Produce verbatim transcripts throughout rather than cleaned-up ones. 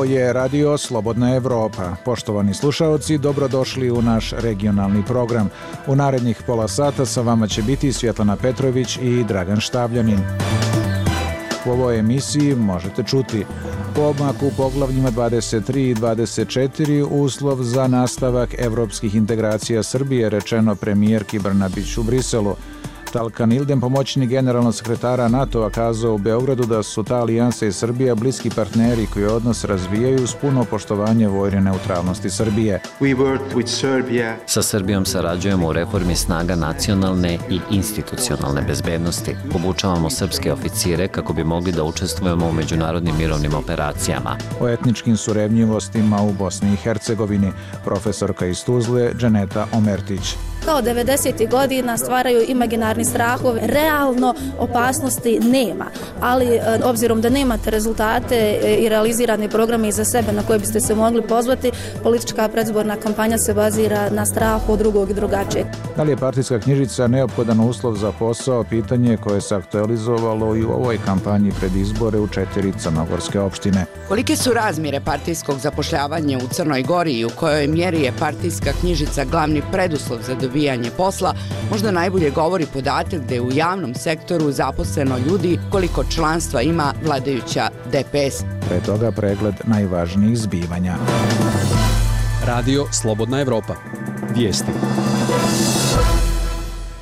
Ovo je Radio Slobodna Evropa. Poštovani slušaoci, dobrodošli u naš regionalni program. U narednih pola sata sa vama će biti Svjetlana Petrović i Dragan Štavljanin. U ovoj emisiji možete čuti pomak u poglavljima dvadeset tri i dvadeset četiri, uslov za nastavak evropskih integracija Srbije, rečeno premijerki Brnabić u Briselu. Talkan Ildem, pomoćnik generalnog sekretara NATO-a, kazao u Beogradu da su ta alijansa i Srbija bliski partneri koji odnos razvijaju uz puno poštovanje vojne neutralnosti Srbije. Sa Srbijom sarađujemo u reformi snaga nacionalne i institucionalne bezbednosti. Obučavamo srpske oficire kako bi mogli da učestvujemo u međunarodnim mirovnim operacijama. O etničkim surevnjivostima u Bosni i Hercegovini, profesorka iz Tuzle Dženeta Omertić. Kao devedesetih godina stvaraju imaginarni strahove, realno opasnosti nema, ali obzirom da nemate rezultate i realizirane programe iza sebe na koje biste se mogli pozvati, politička predizborna kampanja se bazira na strahu od drugog i drugačijeg. Da li je partijska knjižica neophodan uslov za posao, pitanje koje se aktualizovalo i u ovoj kampanji pred izbore u četiri crnogorske opštine. Kolike su razmjere partijskog zapošljavanja u Crnoj Gori i u kojoj mjeri je partijska knjižica glavni preduslov za dobijanje posla, možda najbolje govori podatak da je u javnom sektoru zaposleno ljudi koliko članstva ima vladajuća D P S. Pre toga pregled najvažnijih zbivanja. Radio Slobodna Evropa. Vijesti.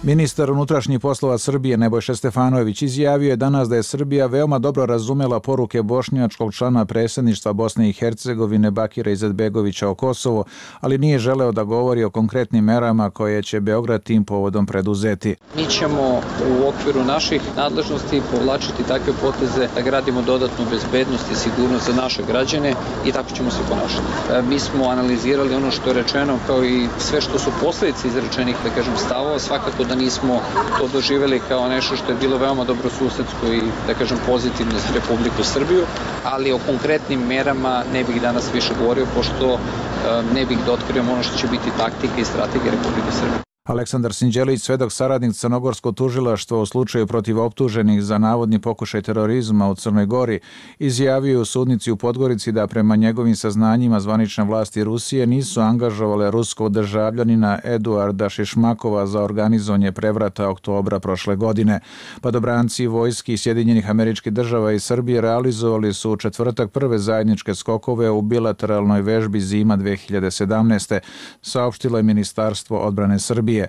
Ministar unutrašnjih poslova Srbije Nebojša Stefanović izjavio je danas da je Srbija veoma dobro razumela poruke bošnjačkog člana predsjedništva Bosne i Hercegovine Bakira Izetbegovića o Kosovu, ali nije želeo da govori o konkretnim merama koje će Beograd tim povodom preduzeti. Mi ćemo u okviru naših nadležnosti povlačiti takve poteze da gradimo dodatnu bezbednost i sigurnost za naše građane i tako ćemo se ponašati. Mi smo analizirali ono što je rečeno kao i sve što su posljedice izrečenih, da kažem, stavova, svakako da nismo to doživjeli kao nešto što je bilo veoma dobro susedsko i, da kažem, pozitivno za Republiku Srbiju, ali o konkretnim merama ne bih danas više govorio, pošto ne bih da otkrijem ono što će biti taktika i strategija Republike Srbije. Aleksandar Sinđelić, svedok saradnik Crnogorskog tužilaštva u slučaju protiv optuženih za navodni pokušaj terorizma u Crnoj Gori, izjavio u sudnici u Podgorici da prema njegovim saznanjima zvanične vlasti Rusije nisu angažovale ruskog državljanina Eduarda Šišmakova za organizovanje prevrata oktobra prošle godine. Padobranci vojski Sjedinjenih Američkih Država i Srbije realizovali su u četvrtak prve zajedničke skokove u bilateralnoj vežbi Zima dve hiljade sedamnaeste, saopštilo je Ministarstvo odbrane Srbije.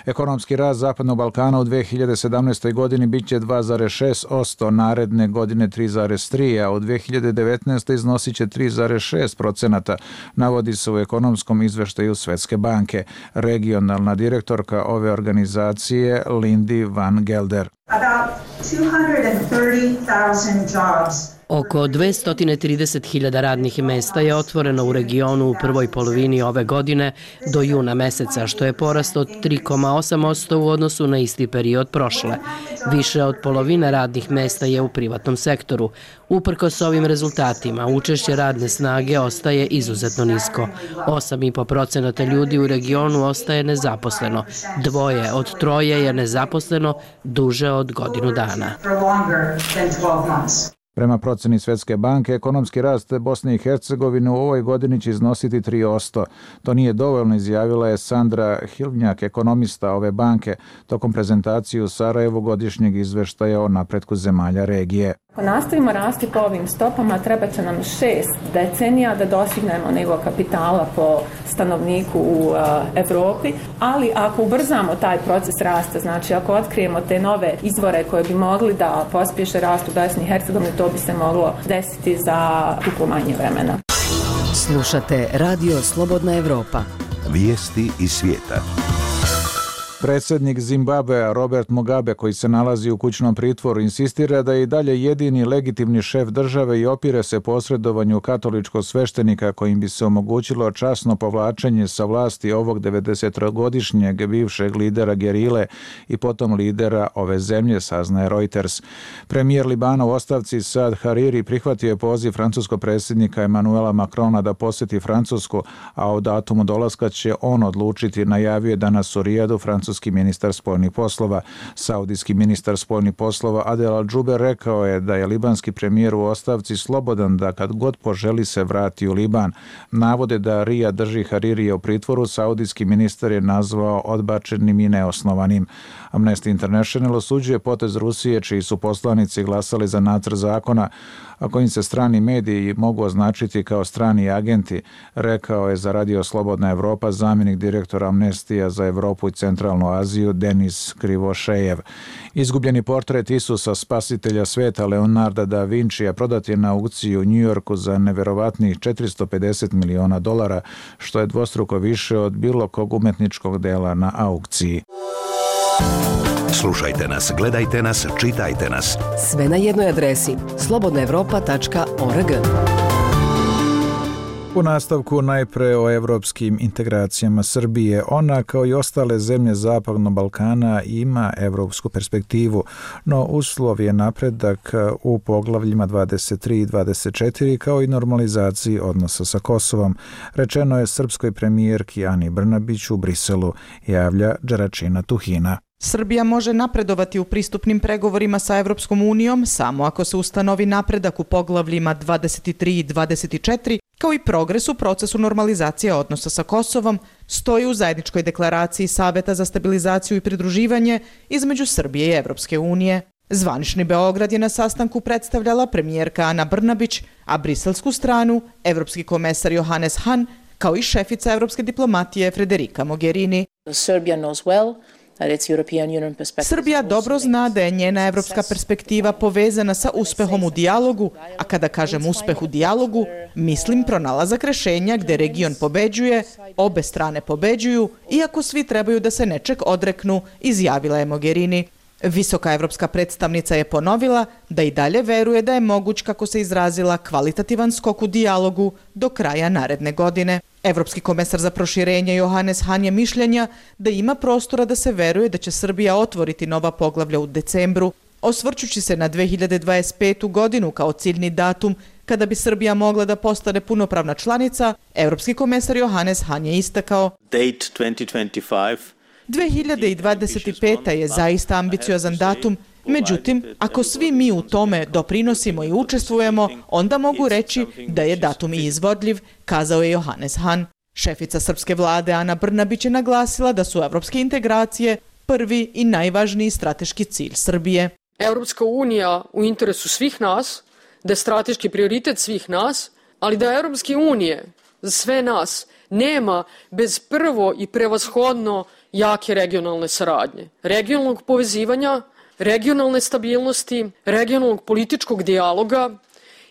Ekonomski rast Zapadnog Balkana u dve hiljade sedamnaestoj godini biće dva zarez šest posto, naredne godine tri zarez tri, a u dve hiljade devetnaestoj iznosit će tri zarez šest posto, navodi se u ekonomskom izveštaju Svetske banke. Regionalna direktorka ove organizacije Lindy Van Gelder. Oko dvesta trideset hiljada radnih mesta je otvoreno u regionu u prvoj polovini ove godine do juna meseca, što je porast od tri zarez osam posto u odnosu na isti period prošle. Više od polovine radnih mesta je u privatnom sektoru. Uprkos ovim rezultatima, učešće radne snage ostaje izuzetno nisko. osam zarez pet posto ljudi u regionu ostaje nezaposleno. Dvoje od troje je nezaposleno duže od godinu dana. Prema proceni Svetske banke, ekonomski rast Bosne i Hercegovine u ovoj godini će iznositi tri posto. To nije dovoljno, izjavila je Sandra Hilnjak, ekonomista ove banke, tokom prezentacije u Sarajevu godišnjeg izveštaja o napretku zemalja regije. Ako nastavimo rasti po ovim stopama, treba će nam šest decenija da dostignemo nivo kapitala po stanovniku u uh, Evropi, ali ako ubrzamo taj proces rasta, znači ako otkrijemo te nove izvore koje bi mogli da pospješe rast u Bosni i Hercegovini, to bi se moglo desiti za duplo manje vremena. Slušate Radio Slobodna Evropa. Vijesti iz svijeta. Predsjednik Zimbabvea Robert Mugabe, koji se nalazi u kućnom pritvoru, insistira da je i dalje jedini legitimni šef države i opire se posredovanju katoličkog sveštenika kojim bi se omogućilo časno povlačenje sa vlasti ovog devedesetogodišnjeg bivšeg lidera gerile i potom lidera ove zemlje, saznaje Reuters. Premijer Libana u ostavci Saad Hariri prihvatio je poziv francuskog predsjednika Emmanuela Macrona da posjeti Francusku, a o datumu dolaska će on odlučiti, najavio je danas u Rijadu francuski francuski ministar spoljnih poslova. Saudijski ministar spoljnih poslova Adel Al-Džuber rekao je da je libanski premijer u ostavci slobodan da kad god poželi se vrati u Liban. Navode da Rija drži Haririja u pritvoru, saudijski ministar je nazvao odbačenim i neosnovanim. Amnesty International osuđuje potez Rusije, čiji su poslanici glasali za nacrt zakona, a kojim se strani mediji mogu označiti kao strani agenti, rekao je za Radio Slobodna Evropa zamjenik direktora Amnestija za Evropu i Centralnu Aziju Denis Krivošejev. Izgubljeni portret Isusa spasitelja sveta Leonarda da Vincija prodat je na aukciji u Njujorku za neverovatnih četiristo pedeset miliona dolara, što je dvostruko više od bilo kog umetničkog dela na aukciji. Slušajte nas, gledajte nas, čitajte nas. Sve na jednoj adresi slobodna evropa tačka org. U nastavku najpre o evropskim integracijama Srbije. Ona, kao i ostale zemlje Zapadnog Balkana, ima evropsku perspektivu, no uslov je napredak u poglavljima dvadeset tri i dvadeset četiri kao i normalizaciji odnosa sa Kosovom. Rečeno je srpskoj premijerki Ani Brnabić u Briselu, javlja Đeračina Tuhina. Srbija može napredovati u pristupnim pregovorima sa Evropskom unijom samo ako se ustanovi napredak u poglavljima dvadeset tri i dvadeset četiri, kao i progres u procesu normalizacije odnosa sa Kosovom, stoji u zajedničkoj deklaraciji Saveta za stabilizaciju i pridruživanje između Srbije i Evropske unije. Zvanični Beograd je na sastanku predstavljala premijerka Ana Brnabić, a briselsku stranu evropski komesar Johannes Hahn, kao i šefica evropske diplomatije Federica Mogherini. Serbia knows well. Srbija dobro zna da je njena evropska perspektiva povezana sa uspehom u dijalogu, a kada kažem uspeh u dijalogu, mislim pronalazak rešenja gde region pobeđuje, obe strane pobeđuju, iako svi trebaju da se nečeg odreknu, izjavila je Mogherini. Visoka evropska predstavnica je ponovila da i dalje veruje da je moguć, kako se izrazila, kvalitativan skok u dijalogu do kraja naredne godine. Evropski komesar za proširenje Johannes Hahn je mišljenja da ima prostora da se veruje da će Srbija otvoriti nova poglavlja u decembru, osvrćući se na dve hiljade dvadeset petu godinu kao ciljni datum kada bi Srbija mogla da postane punopravna članica. Evropski komesar Johannes Hahn je istakao: dve hiljade dvadeset peta je zaista ambiciozan datum, međutim, ako svi mi u tome doprinosimo i učestvujemo, onda mogu reći da je datum i izvodljiv, kazao je Johannes Hahn. Šefica srpske vlade Ana Brnabić je naglasila da su evropske integracije prvi i najvažniji strateški cilj Srbije. Evropska unija u interesu svih nas, da je strateški prioritet svih nas, ali da Evropske unije za sve nas nema bez prvo i prevashodno jake regionalne saradnje, regionalnog povezivanja, regionalne stabilnosti, regionalnog političkog dijaloga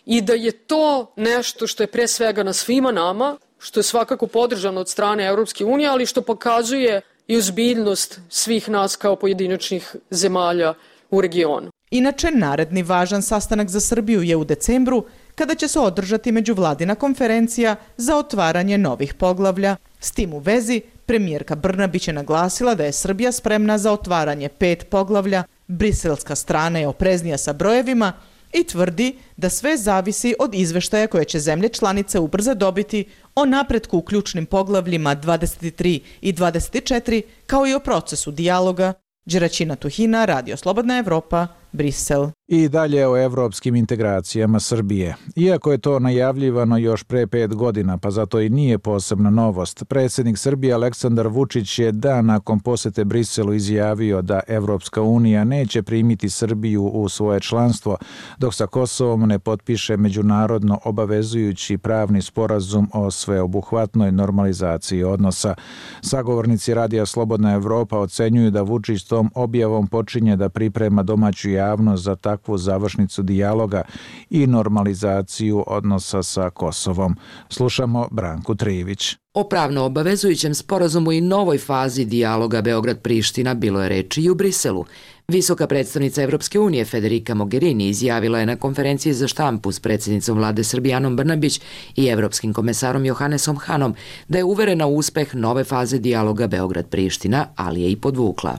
i da je to nešto što je pre svega na svima nama, što je svakako podržano od strane Evropske unije, ali što pokazuje i ozbiljnost svih nas kao pojedinačnih zemalja u regionu. Inače, naredni važan sastanak za Srbiju je u decembru, kada će se održati međuvladina konferencija za otvaranje novih poglavlja. S tim u vezi, premijerka Brnabić je naglasila da je Srbija spremna za otvaranje pet poglavlja, briselska strana je opreznija sa brojevima i tvrdi da sve zavisi od izveštaja koje će zemlje članice ubrzo dobiti o napretku u ključnim poglavljima dvadeset tri i dvadeset četiri, kao i o procesu dijaloga. Đeračina Tuhina, Radio Slobodna Evropa, Brisel. I dalje o evropskim integracijama Srbije. Iako je to najavljivano još pre pet godina, pa zato i nije posebna novost, predsjednik Srbije Aleksandar Vučić je dan nakon posete Briselu izjavio da Evropska unija neće primiti Srbiju u svoje članstvo, dok sa Kosovom ne potpiše međunarodno obavezujući pravni sporazum o sveobuhvatnoj normalizaciji odnosa. Sagovornici Radija Slobodna Evropa ocenjuju da Vučić tom objavom počinje da priprema domaću javnost za takvu završnicu dijaloga i normalizaciju odnosa sa Kosovom. Slušamo Branku Trivić. O pravno obavezujućem sporazumu i novoj fazi dijaloga Beograd-Priština bilo je reči i u Briselu. Visoka predstavnica Evropske unije Federica Mogherini izjavila je na konferenciji za štampu s predsjednicom vlade Srbije Anom Brnabić i evropskim komesarom Johannesom Hanom da je uverena u uspeh nove faze dijaloga Beograd-Priština, ali je i podvukla.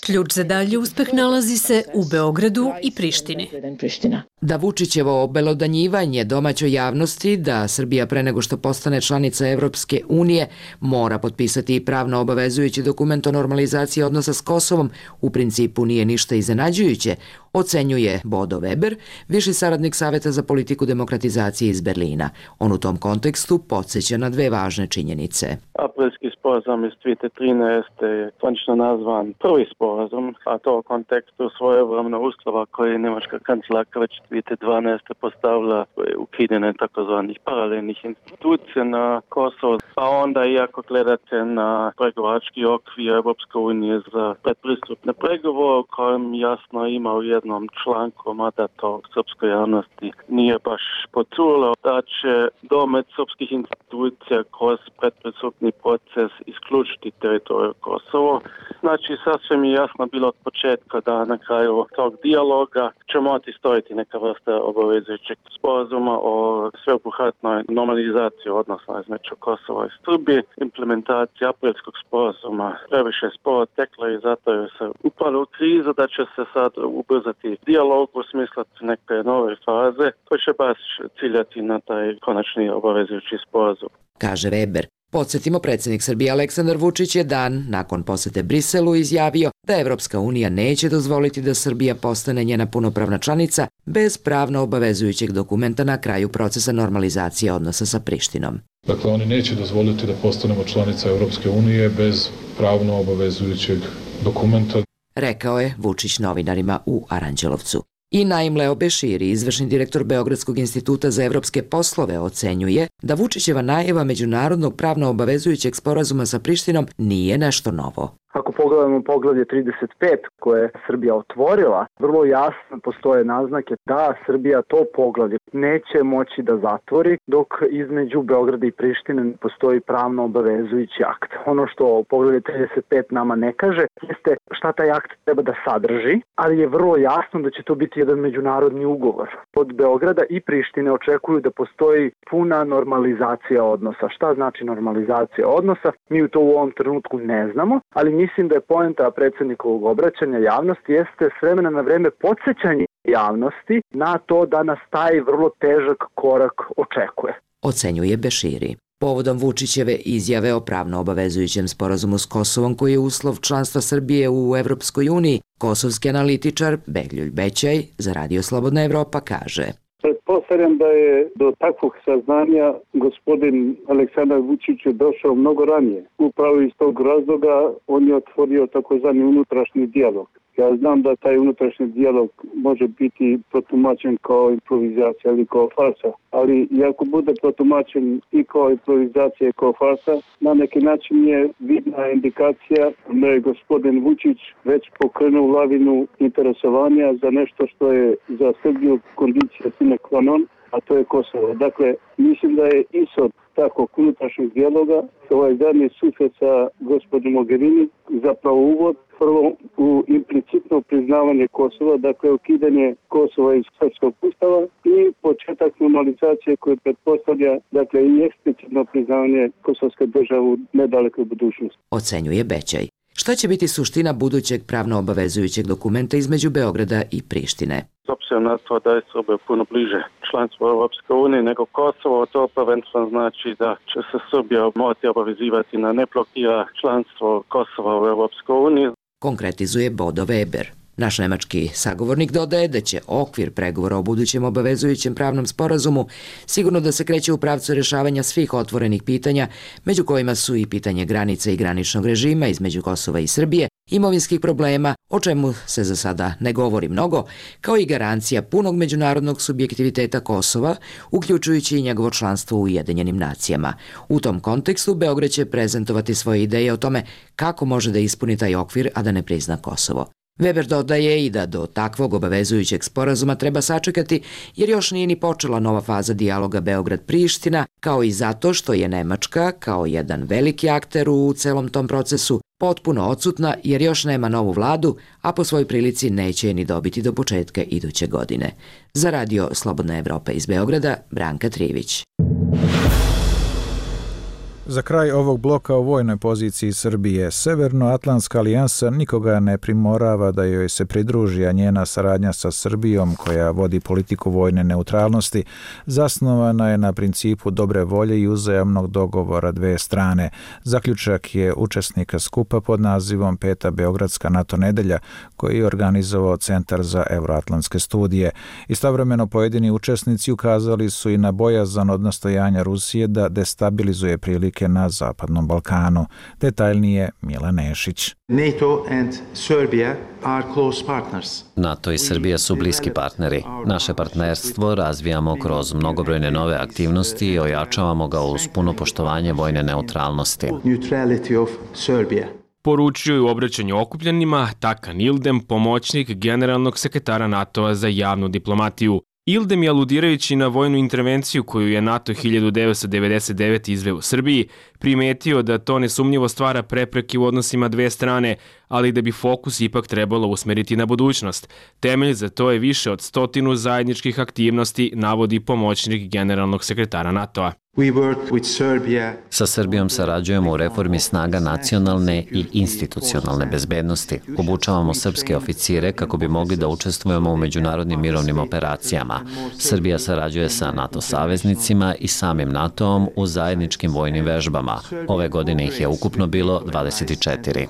Ključ za dalji uspeh nalazi se u Beogradu i Prištini. Da Vučićevo obelodanjivanje domaćoj javnosti da Srbija pre nego što postane članica Evropske unije mora potpisati i pravno obavezujući dokument o normalizaciji odnosa s Kosovom u principu nije ništa iznenađujuće, ocenjuje Bodo Weber, viši saradnik Saveta za politiku demokratizacije iz Berlina. On u tom kontekstu podsjeća na dve važne činjenice. Aprilski sporazum iz dvije tisuće trinaeste je zvanično nazvan prvi sporazum, a to u kontekstu svojevremeno uslova koje je njemačka kancelarka već dvije tisuće dvanaeste postavila ukidanje takozvanih paralelnih institucija na Kosovo. Pa onda, iako gledate na pregovarački okvir Evropske unije za predpristupne pregovore, kojem jasno ima u jednom članku, mada to srpskoj javnosti nije baš počulo, da će domet srpskih institucija kroz predpristupni proces isključiti teritoriju Kosovo. Znači, sasvim je jasno bilo od početka da na kraju tog dijaloga će morati stojiti neka vrsta obavezujućeg sporazuma o sveobuhvatnoj normalizaciji odnosa između Kosova i Srbije. Implementacija aprilskog sporazuma previše sporo tekla i zato je se upalo u krizu da će se sad ubrzati dijalog u smislu neke nove faze koji će baš ciljati na taj konačni obavezujući sporazum. Kaže Weber. Podsjetimo, predsjednik Srbije Aleksandar Vučić je dan nakon posete Briselu izjavio da Evropska unija neće dozvoliti da Srbija postane njena punopravna članica bez pravno obavezujućeg dokumenta na kraju procesa normalizacije odnosa sa Prištinom. Dakle, oni neće dozvoliti da postanemo članica Evropske unije bez pravno obavezujućeg dokumenta. Rekao je Vučić novinarima u Aranđelovcu. I Naim Leo Beširi, izvršni direktor Beogradskog instituta za evropske poslove, ocenjuje da Vučićeva najava međunarodnog pravno obavezujućeg sporazuma sa Prištinom nije nešto novo. Ako pogledamo poglavlje trideset pet koje je Srbija otvorila, vrlo jasno postoje naznake da Srbija to poglavlje neće moći da zatvori dok između Beograda i Prištine postoji pravno obavezujući akt. Ono što poglavlje trideset pet nama ne kaže jeste šta taj akt treba da sadrži, ali je vrlo jasno da će to biti jedan međunarodni ugovor. Od Beograda i Prištine očekuju da postoji puna normalizacija odnosa. Šta znači normalizacija odnosa? Mi to u ovom trenutku ne znamo, ali mislim da je poenta predsjednikovog obraćanja javnosti jeste s vremena na vreme podsjećanje javnosti na to da nas taj vrlo težak korak očekuje. Ocenjuje Beširi. Povodom Vučićeve izjave o pravno obavezujućem sporazumu s Kosovom koji je uslov članstva Srbije u Evropskoj uniji, kosovski analitičar Beljulj Bećaj za Radio Slobodna Evropa kaže: Pretpostavljam da je do takvog saznanja gospodin Aleksandar Vučić došao mnogo ranije. Upravo iz tog razloga on je otvorio takozvani unutrašnji dijalog. Ja znam da taj unutrašnji dijalog može biti protumačen kao improvizacija ili kao farsa, ali ako bude protumačen i kao improvizacija i kao farsa, na neki način je vidna indikacija da je gospodin Vučić već pokrenuo lavinu interesovanja za nešto što je za Srbiju kondicija sine qua non, a to je Kosovo. Dakle, mislim da je ishod takvog unutrašnjeg dijaloga, ovaj zadnji susret sa gospodinom Mogherini, zapravo uvod prvo u implicitno priznavanje Kosova, dakle ukidanje Kosova iz srpskog ustava i početak normalizacije koje pretpostavlja dakle i eksplicitno priznavanje kosovske države u nedalekoj budućnosti. Ocenjuje Bećaj. Šta će biti suština budućeg pravno obavezujućeg dokumenta između Beograda i Prištine? S obzirom na to da je Srbija puno bliže članstvu Europske unije nego Kosovo, to prvenstveno znači da će se Srbija morati obavezivati na ne blokira članstvo Kosova u Europskoj uniji. Konkretizuje Bodo Weber. Naš nemački sagovornik dodaje da će okvir pregovora o budućem obavezujućem pravnom sporazumu sigurno da se kreće u pravcu rješavanja svih otvorenih pitanja, među kojima su i pitanje granice i graničnog režima između Kosova i Srbije, imovinskih problema, o čemu se za sada ne govori mnogo, kao i garancija punog međunarodnog subjektiviteta Kosova, uključujući i njegovo članstvo u Ujedinjenim nacijama. U tom kontekstu Beograd će prezentovati svoje ideje o tome kako može da ispuni taj okvir, a da ne prizna Kosovo. Weber dodaje i da do takvog obavezujućeg sporazuma treba sačekati jer još nije ni počela nova faza dijaloga Beograd-Priština, kao i zato što je Nemačka, kao jedan veliki akter u celom tom procesu, potpuno odsutna jer još nema novu vladu, a po svojoj prilici neće je ni dobiti do početka iduće godine. Za Radio Slobodna Evropa iz Beograda, Branka Trivić. Za kraj ovog bloka o vojnoj poziciji Srbije, Severnoatlantska alijansa nikoga ne primorava da joj se pridruži, a njena saradnja sa Srbijom, koja vodi politiku vojne neutralnosti, zasnovana je na principu dobre volje i uzajamnog dogovora dve strane. Zaključak je učesnika skupa pod nazivom Peta Beogradska NATO nedelja, koji je organizovao Centar za euroatlantske studije. Istovremeno pojedini učesnici ukazali su i na bojazan od nastojanja Rusije da destabilizuje prilike na Zapadnom Balkanu. Detaljnije Mila Nešić. NATO and Serbia are close partners. NATO i Srbija su bliski partneri. Naše partnerstvo razvijamo kroz mnogobrojne nove aktivnosti i ojačavamo ga uz puno poštovanje vojne neutralnosti. Neutrality of Serbia. Poručio je u obraćanju okupljenima Takan Ildem, pomoćnik generalnog sekretara NATO-a za javnu diplomatiju. Ildem je, aludirajući na vojnu intervenciju koju je NATO hiljadu devetsto devedeset devete izveo u Srbiji, primetio da to nesumnjivo stvara prepreke u odnosima dve strane, ali da bi fokus ipak trebalo usmeriti na budućnost. Temelj za to je više od stotinu zajedničkih aktivnosti, navodi pomoćnik generalnog sekretara NATO-a. Sa Srbijom sarađujemo u reformi snaga nacionalne i institucionalne bezbednosti. Obučavamo srpske oficire kako bi mogli da učestvujemo u međunarodnim mirovnim operacijama. Srbija sarađuje sa NATO saveznicima i samim NATO-om u zajedničkim vojnim vežbama. Ove godine ih je ukupno bilo dvadeset četiri.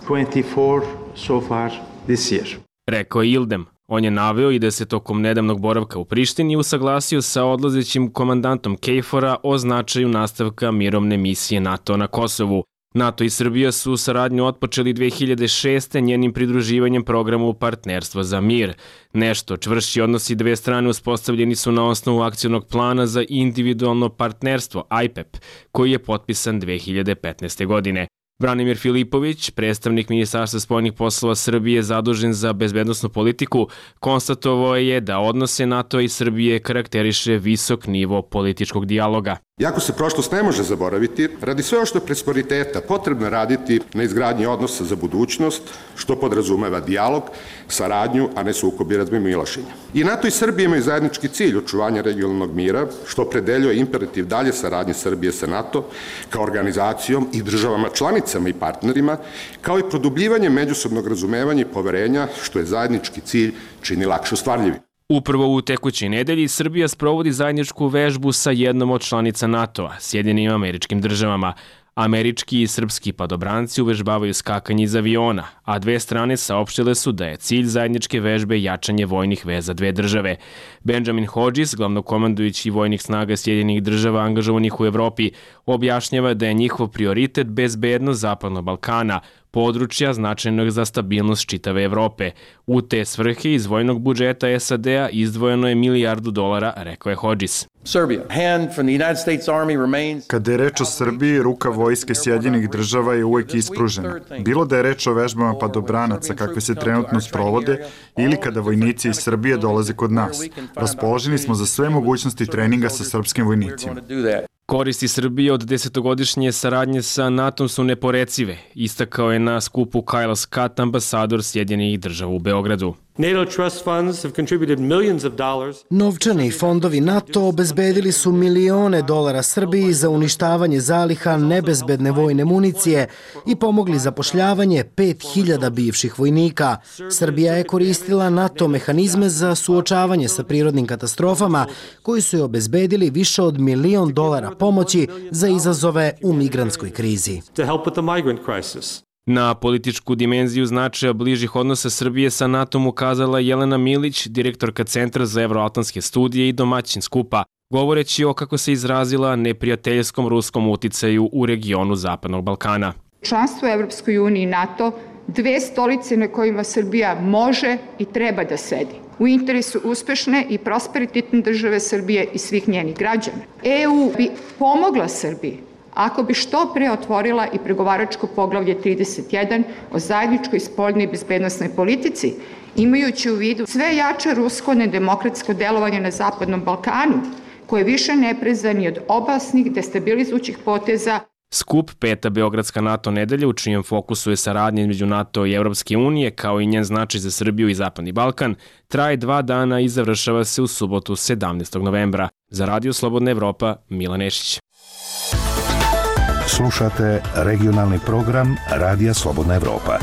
Rekao je Ildem. On je naveo i da se tokom nedavnog boravka u Prištini usaglasio sa odlazećim komandantom KFOR-a o značaju nastavka mirovne misije NATO na Kosovu. NATO i Srbija su saradnju otpočeli dve hiljade šeste. njenim pridruživanjem programu Partnerstvo za mir. Nešto čvršći odnosi dve strane uspostavljeni su na osnovu akcionog plana za individualno partnerstvo I P E P, koji je potpisan dve hiljade petnaeste. godine. Branimir Filipović, predstavnik Ministarstva spoljnih poslova Srbije zadužen za bezbednosnu politiku, konstatovao je da odnose NATO i Srbije karakteriše visok nivo političkog dijaloga. Iako se prošlost ne može zaboraviti, radi sve što prosperiteta potrebno raditi na izgradnji odnosa za budućnost, što podrazumeva dijalog, saradnju, a ne sukob i razmimoilaženja. I NATO i Srbija imaju zajednički cilj očuvanja regionalnog mira, što opredeljuje imperativ dalje saradnje Srbije sa NATO kao organizacijom i državama članicama i partnerima, kao i produbljivanje međusobnog razumevanja i poverenja, što je zajednički cilj čini lakše ostvarljivi. Upravo u tekućoj nedelji Srbija sprovodi zajedničku vežbu sa jednom od članica NATO-a, Sjedinjenim Američkim Državama. Američki i srpski padobranci uvežbavaju skakanje iz aviona, a dve strane saopštile su da je cilj zajedničke vežbe jačanje vojnih veza dve države. Benjamin Hodges, glavnokomandujući vojnih snaga Sjedinjenih Država angažovanih u Evropi, objašnjava da je njihov prioritet bezbednost Zapadnog Balkana, područja značajnog za stabilnost čitave Evrope. U te svrhe iz vojnog budžeta S A D-a izdvojeno je milijardu dolara, rekao je Hodges. Kada je reč o Srbiji, ruka vojske Sjedinjenih Država je uvek ispružena. Bilo da je reč o vežbama padobranaca kakve se trenutno sprovode ili kada vojnici iz Srbije dolaze kod nas. Raspoloženi smo za sve mogućnosti treninga sa srpskim vojnicima. Koristi Srbije od desetogodišnje saradnje sa NATO su neporecive, istakao je na skupu Kyle Scott, ambasador Sjedinjenih Država u Beogradu. Novčani fondovi NATO obezbedili su milione dolara Srbiji za uništavanje zaliha nebezbedne vojne municije i pomogli zapošljavanje pet hiljada bivših vojnika. Srbija je koristila NATO mehanizme za suočavanje sa prirodnim katastrofama koji su je obezbedili više od milion dolara pomoći za izazove u migrantskoj krizi. Na političku dimenziju značaja bližih odnosa Srbije sa NATO-om ukazala Jelena Milić, direktorka Centra za euroatlantske studije i domaćin skupa, govoreći o, kako se izrazila, neprijateljskom ruskom uticaju u regionu Zapadnog Balkana. Članstvo u Evropskoj uniji i NATO, dve stolice na kojima Srbija može i treba da sedi, u interesu uspešne i prosperitetne države Srbije i svih njenih građana. E U bi pomogla Srbiji ako bi što pre otvorila i pregovaračko poglavlje trideset jedan o zajedničkoj spoljnoj i bezbednosnoj politici, imajući u vidu sve jače rusko nedemokratsko delovanje na Zapadnom Balkanu, koje više ne preza ni od opasnih destabilizujućih poteza. Skup Peta Beogradska NATO nedelja, u čijem fokusu je saradnja između NATO i Evropske unije, kao i njen značaj za Srbiju i Zapadni Balkan, traje dva dana i završava se u subotu sedamnaestog novembra. Za Radio Slobodna Evropa, Milan Nešić. Slušate regionalni program Radija Slobodna Evropa.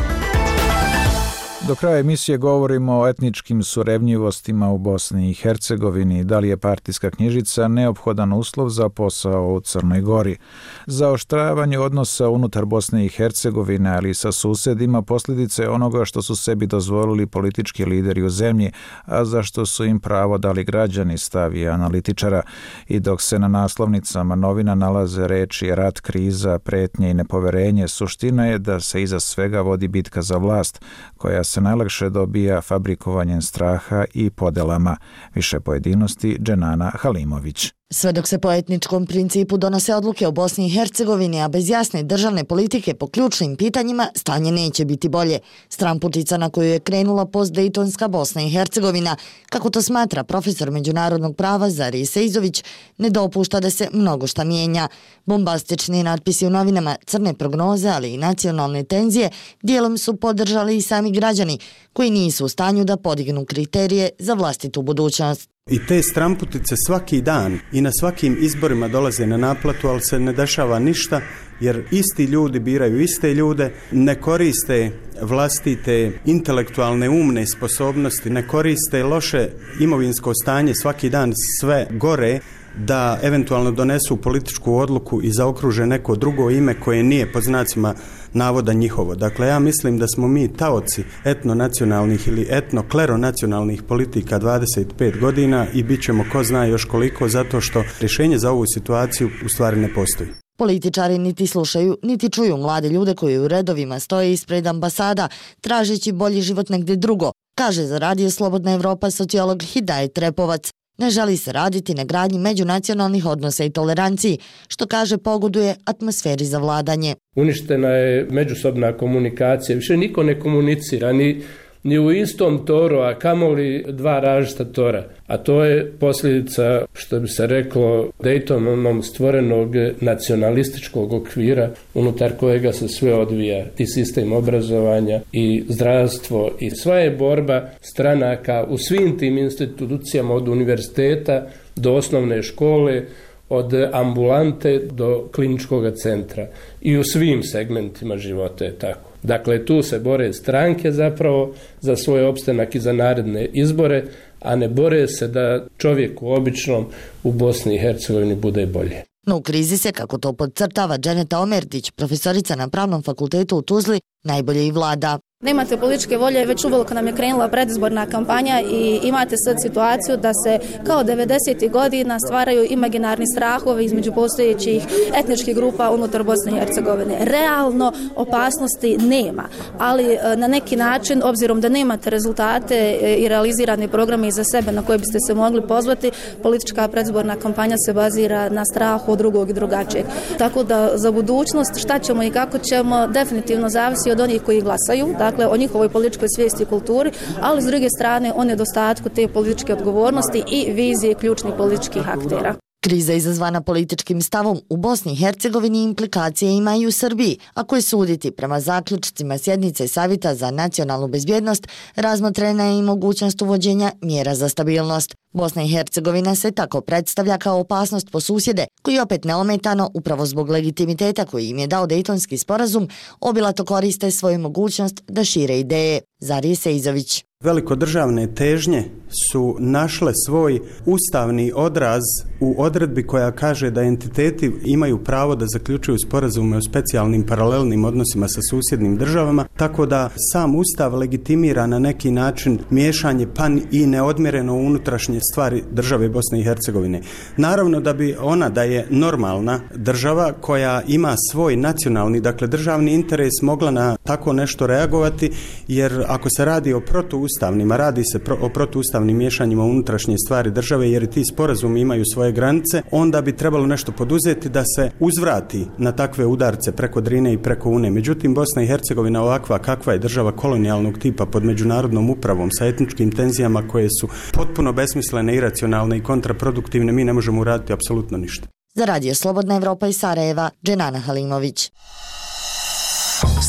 Do kraja emisije govorimo o etničkim surevnjivostima u Bosni i Hercegovini. Da li je partijska knjižica neophodan uslov za posao u Crnoj Gori? Zaoštravanje odnosa unutar Bosne i Hercegovine, ali i sa susedima, posljedice onoga što su sebi dozvolili politički lideri u zemlji, a za što su im pravo dali građani, stavi analitičara. I dok se na naslovnicama novina nalaze reči rat, kriza, pretnje i nepoverenje, suština je da se iza svega vodi bitka za vlast, koja se najlakše dobija fabrikovanjem straha i podelama. Više pojedinosti, Dženana Halimović. Sve dok se po etničkom principu donose odluke o Bosni i Hercegovini, a bez jasne državne politike po ključnim pitanjima, stanje neće biti bolje. Stramputica na koju je krenula postdejtonska Bosna i Hercegovina, kako to smatra profesor međunarodnog prava Zarije Sejzović, ne dopušta da se mnogo šta mijenja. Bombastični natpisi u novinama, crne prognoze, ali i nacionalne tenzije, dijelom su podržali i sami građani, koji nisu u stanju da podignu kriterije za vlastitu budućnost. I te stramputice svaki dan i na svakim izborima dolaze na naplatu, ali se ne dešava ništa, jer isti ljudi biraju iste ljude, ne koriste vlastite intelektualne umne sposobnosti, ne koriste loše imovinsko stanje svaki dan sve gore, da eventualno donesu političku odluku i zaokruže neko drugo ime koje nije pod znacima navoda njihovo. Dakle, ja mislim da smo mi taoci etnonacionalnih ili etnokleronacionalnih politika dvadeset pet godina i bit ćemo ko zna još koliko, zato što rješenje za ovu situaciju u stvari ne postoji. Političari niti slušaju, niti čuju mlade ljude koji u redovima stoje ispred ambasada, tražeći bolji život negdje drugo, kaže za Radio Slobodna Evropa sociolog Hidajet Repovac. Ne želi se raditi na gradnji međunacionalnih odnosa i toleranciji, što kaže pogoduje atmosferi za vladanje. Uništena je međusobna komunikacija, više niko ne komunicira, ni, ni u istom toru, a kamoli dva različita tora. A to je posljedica, što bi se reklo, Daytonom stvorenog nacionalističkog okvira unutar kojega se sve odvija, i sistem obrazovanja, i zdravstvo, i sva je borba stranaka u svim tim institucijama, od univerziteta do osnovne škole, od ambulante do kliničkog centra. I u svim segmentima života je tako. Dakle, tu se bore stranke zapravo za svoj opstanak i za naredne izbore, a ne bore se da čovjeku običnom u Bosni i Hercegovini bude bolje. No u krizi se, kako to podcrtava Dženeta Omertić, profesorica na Pravnom fakultetu u Tuzli, najbolje i vlada. Nemate političke volje, već uveliko nam je krenula predizborna kampanja i imate sad situaciju da se kao devedesetih godina stvaraju imaginarni strahovi između postojećih etničkih grupa unutar Bosne i Hercegovine. Realno opasnosti nema, ali na neki način, obzirom da nemate rezultate i realizirane programe iza sebe na koje biste se mogli pozvati, politička predizborna kampanja se bazira na strahu od drugog i drugačijeg. Tako da za budućnost šta ćemo i kako ćemo definitivno zavisi od onih koji glasaju, dakle o njihovoj političkoj svijesti i kulturi, ali s druge strane o nedostatku te političke odgovornosti i vizije ključnih političkih aktera. Kriza izazvana političkim stavom u Bosni i Hercegovini implikacije ima i u Srbiji, ako je suditi prema zaključcima sjednice Savjeta za nacionalnu bezbjednost, razmotrena je i mogućnost uvođenja mjera za stabilnost. Bosna i Hercegovina se tako predstavlja kao opasnost po susjede, koji opet neometano, upravo zbog legitimiteta koji im je dao Dejtonski sporazum, obilato koriste svoju mogućnost da šire ideje. Zarije Sejzović. Velikodržavne težnje su našle svoj ustavni odraz u odredbi koja kaže da entiteti imaju pravo da zaključuju sporazume o specijalnim paralelnim odnosima sa susjednim državama, tako da sam ustav legitimira na neki način miješanje pa i neodmjereno unutrašnje stvari države Bosne i Hercegovine. Naravno da bi ona, da je normalna država koja ima svoj nacionalni, dakle državni interes, mogla na tako nešto reagovati, jer ako se radi o protuustavnima, radi se pro, o protuustavnim miješanjima unutrašnje stvari države, jer ti sporazumi imaju svoje granice, onda bi trebalo nešto poduzeti da se uzvrati na takve udarce preko Drine i preko Une. Međutim, Bosna i Hercegovina ovakva kakva je država kolonijalnog tipa pod međunarodnom upravom sa etničkim tenzijama koje su potpuno besmislene, iracionalne i kontraproduktivne, mi ne možemo uraditi apsolutno ništa. Za Radio Slobodna Evropa iz Sarajeva, Dženana Halimović.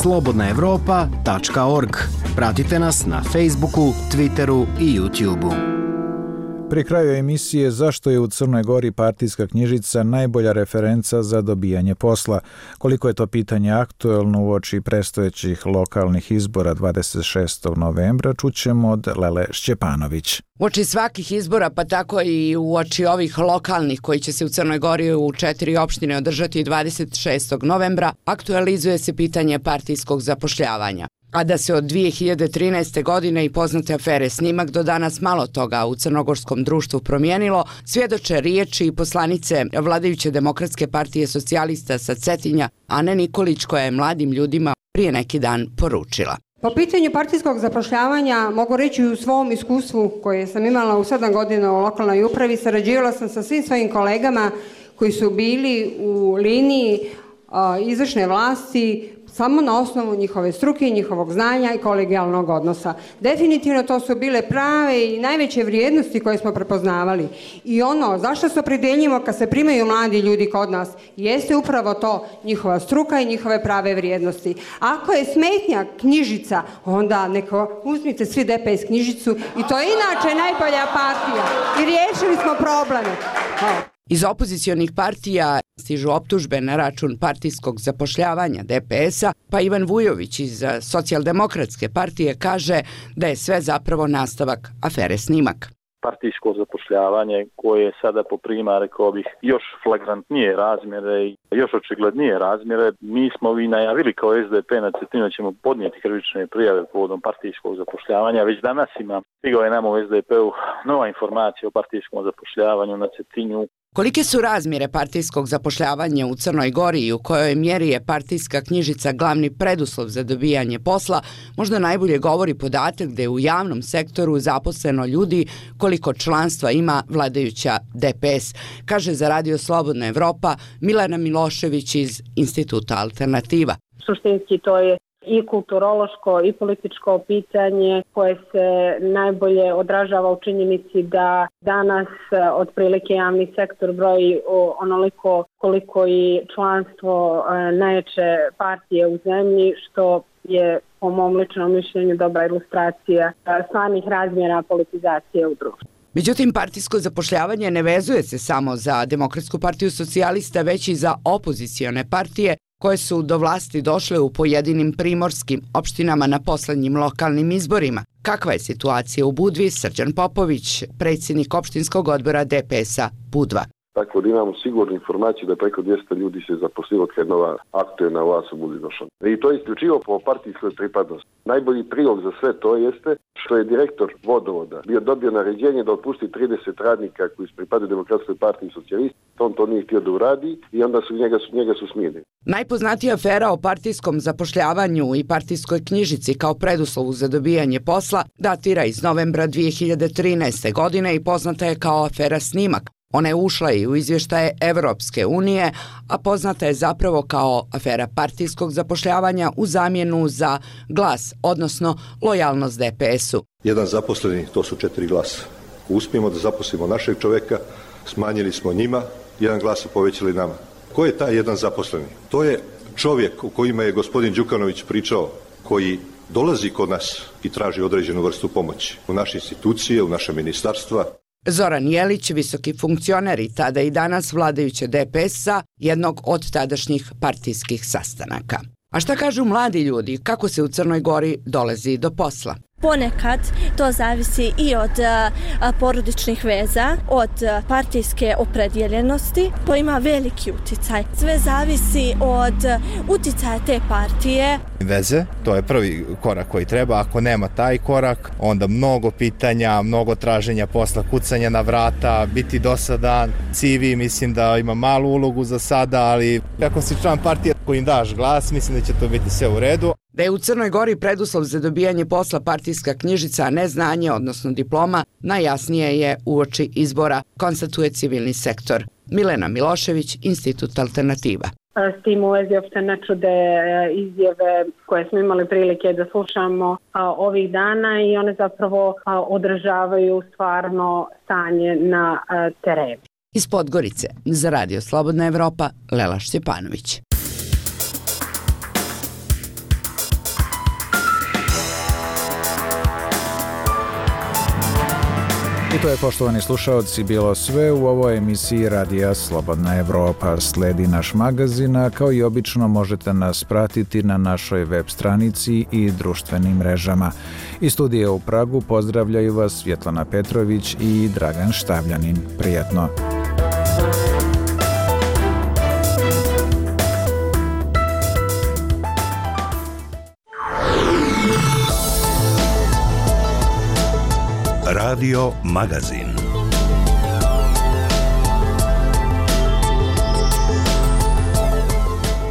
slobodna evropa tačka org. Pratite nas na Facebooku, Twitteru i YouTubeu. Pri kraju emisije zašto je u Crnoj Gori partijska knjižica najbolja referenca za dobijanje posla. Koliko je to pitanje aktuelno uoči predstojećih lokalnih izbora dvadeset šestog novembra, čućemo od Lele Šćepanović. Uoči svakih izbora, pa tako i uoči ovih lokalnih koji će se u Crnoj Gori u četiri opštine održati dvadeset šestog novembra, aktualizuje se pitanje partijskog zapošljavanja. A da se od dvije hiljade trinaeste. godine i poznate afere Snimak do danas malo toga u crnogorskom društvu promijenilo, svjedoče riječi i poslanice vladajuće Demokratske partije socijalista sa Cetinja, Ane Nikolić, koja je mladim ljudima prije neki dan poručila. Po pitanju partijskog zapošljavanja mogu reći u svom iskustvu koje sam imala u sedam godina u lokalnoj upravi, sarađivala sam sa svim svojim kolegama koji su bili u liniji a, izvršne vlasti samo na osnovu njihove struke, njihovog znanja i kolegijalnog odnosa. Definitivno to su bile prave i najveće vrijednosti koje smo prepoznavali. I ono zašto se opredeljimo kad se primaju mladi ljudi kod nas, jeste upravo to, njihova struka i njihove prave vrijednosti. Ako je smetnja knjižica, onda neko uzmite svi D P S knjižicu i to je inače najbolja partija. I riješili smo probleme. Hvala. Iz opozicionih partija stižu optužbe na račun partijskog zapošljavanja D P S-a, pa Ivan Vujović iz Socijaldemokratske partije kaže da je sve zapravo nastavak afere Snimak. Partijsko zapošljavanje koje sada poprima, rekao bih, još flagrantnije razmjere i još očiglednije razmjere. Mi smo vi najavili kao S D P na Cetinju da ćemo podnijeti krivične prijave povodom partijskog zapošljavanja. Već danas ima, stigao je nama u S D P-u nova informacija o partijskom zapošljavanju na Cetinju. Kolike su razmjere partijskog zapošljavanja u Crnoj Gori i u kojoj mjeri je partijska knjižica glavni preduslov za dobijanje posla, možda najbolje govori podatak da je u javnom sektoru zaposleno ljudi koliko članstva ima vladajuća D P S, kaže za Radio Slobodna Evropa Milena Milošević iz Instituta Alternativa. Suštinski to je i kulturološko i političko pitanje koje se najbolje odražava u činjenici da danas otprilike javni sektor broji onoliko koliko i članstvo najjače partije u zemlji, što je po mom ličnom mišljenju dobra ilustracija stvarnih razmjera politizacije u društvu. Međutim, partijsko zapošljavanje ne vezuje se samo za Demokratsku partiju socijalista, već i za opozicione partije koje su do vlasti došle u pojedinim primorskim opštinama na poslednjim lokalnim izborima. Kakva je situacija u Budvi? Srđan Popović, predsjednik opštinskog odbora D P S-a Budva. Tako da imamo sigurnu informaciju da preko dvjesto ljudi se zaposlilo kad je nova aktuelna vlast u Budvi došla. I to je isključivo po partijskoj pripadnosti. Najbolji prilog za sve to jeste što je direktor vodovoda bio dobio naređenje da otpusti trideset radnika koji su pripadaju Demokratskoj partiji socijalista. On to nije htio da uradi i onda su njega, su, njega su smijenili. Najpoznatija afera o partijskom zapošljavanju i partijskoj knjižici kao preduslovu za dobijanje posla datira iz novembra dvije hiljade trinaeste. godine i poznata je kao afera Snimak. Ona je ušla i u izvještaje Evropske unije, a poznata je zapravo kao afera partijskog zapošljavanja u zamjenu za glas, odnosno lojalnost D P S-u. Jedan zaposleni, to su četiri glasa. Uspijemo da zaposlimo našeg čoveka, smanjili smo njima, jedan glas su povećali nama. Ko je taj jedan zaposleni? To je čovjek o kojima je gospodin Đukanović pričao, koji dolazi kod nas i traži određenu vrstu pomoći u naše institucije, u naše ministarstva. Zoran Jelić, visoki funkcioner i tada i danas vladajuće D P S-a, jednog od tadašnjih partijskih sastanaka. A šta kažu mladi ljudi, kako se u Crnoj Gori dolazi do posla? Ponekad to zavisi i od a, porodičnih veza, od a, partijske opredjeljenosti. To ima veliki uticaj. Sve zavisi od a, uticaja te partije. Veze, to je prvi korak koji treba. Ako nema taj korak, onda mnogo pitanja, mnogo traženja posla, kucanja na vrata, biti dosadan. C V mislim da ima malu ulogu za sada, ali ako si član partije kojim daš glas, mislim da će to biti sve u redu. Da je u Crnoj Gori preduslov za dobijanje posla partijska knjižica, a ne znanje, odnosno diploma, najjasnije je uoči izbora, konstatuje civilni sektor. Milena Milošević, Institut Alternativa. S tim u vezi opšte ne čude izjave koje smo imali prilike da slušamo ovih dana i one zapravo odražavaju stvarno stanje na terenu. Iz Podgorice, za Radio Slobodna Evropa, Lela Šćepanović. I to je, poštovani slušaoci, bilo sve u ovoj emisiji Radija Slobodna Evropa. Sledi naš magazin, a kao i obično možete nas pratiti na našoj web stranici i društvenim mrežama. Iz studija u Pragu pozdravljaju vas Svjetlana Petrović i Dragan Štavljanin. Prijatno! Radio Magazin.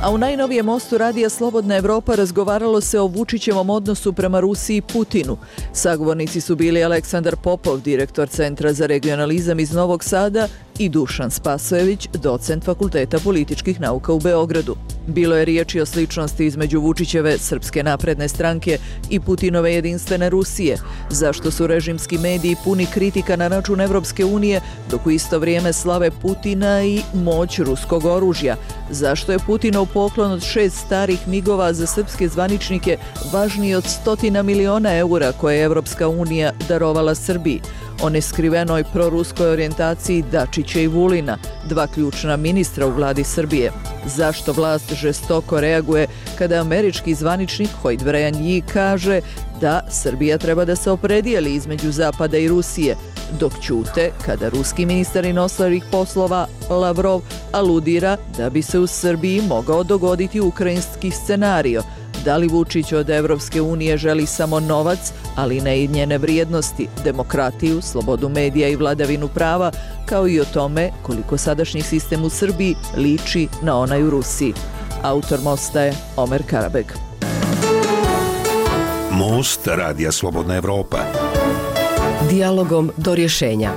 A u najnovijem mostu Radija Slobodna Evropa razgovaralo se o Vučićevom odnosu prema Rusiji i Putinu. Sagovornici su bili Aleksandar Popov, direktor Centra za regionalizam iz Novog Sada, i Dušan Spasojević, docent Fakulteta političkih nauka u Beogradu. Bilo je riječi o sličnosti između Vučićeve Srpske napredne stranke i Putinove jedinstvene Rusije, zašto su režimski mediji puni kritika na račun Evropske unije, dok u isto vrijeme slave Putina i moć ruskog oružja, zašto je Putinov poklon od šest starih migova za srpske zvaničnike važniji od stotina miliona eura koje je Evropska unija darovala Srbiji, o neskrivenoj proruskoj orijentaciji Dačića i Vulina, dva ključna ministra u vladi Srbije. Zašto vlast žestoko reaguje kada američki zvaničnik Hoyt Brejanje kaže da Srbija treba da se opredijeli između Zapada i Rusije, dok ćute kada ruski ministar inostranih poslova Lavrov aludira da bi se u Srbiji mogao dogoditi ukrajinski scenario. Da li Vučić od Evropske unije želi samo novac, ali ne i njene vrijednosti, demokratiju, slobodu medija i vladavinu prava, kao i o tome koliko sadašnji sistem u Srbiji liči na onaj u Rusiji. Autor mosta je Omer Karabeg. Most Radija Slobodna Evropa. Dijalogom do rješenja.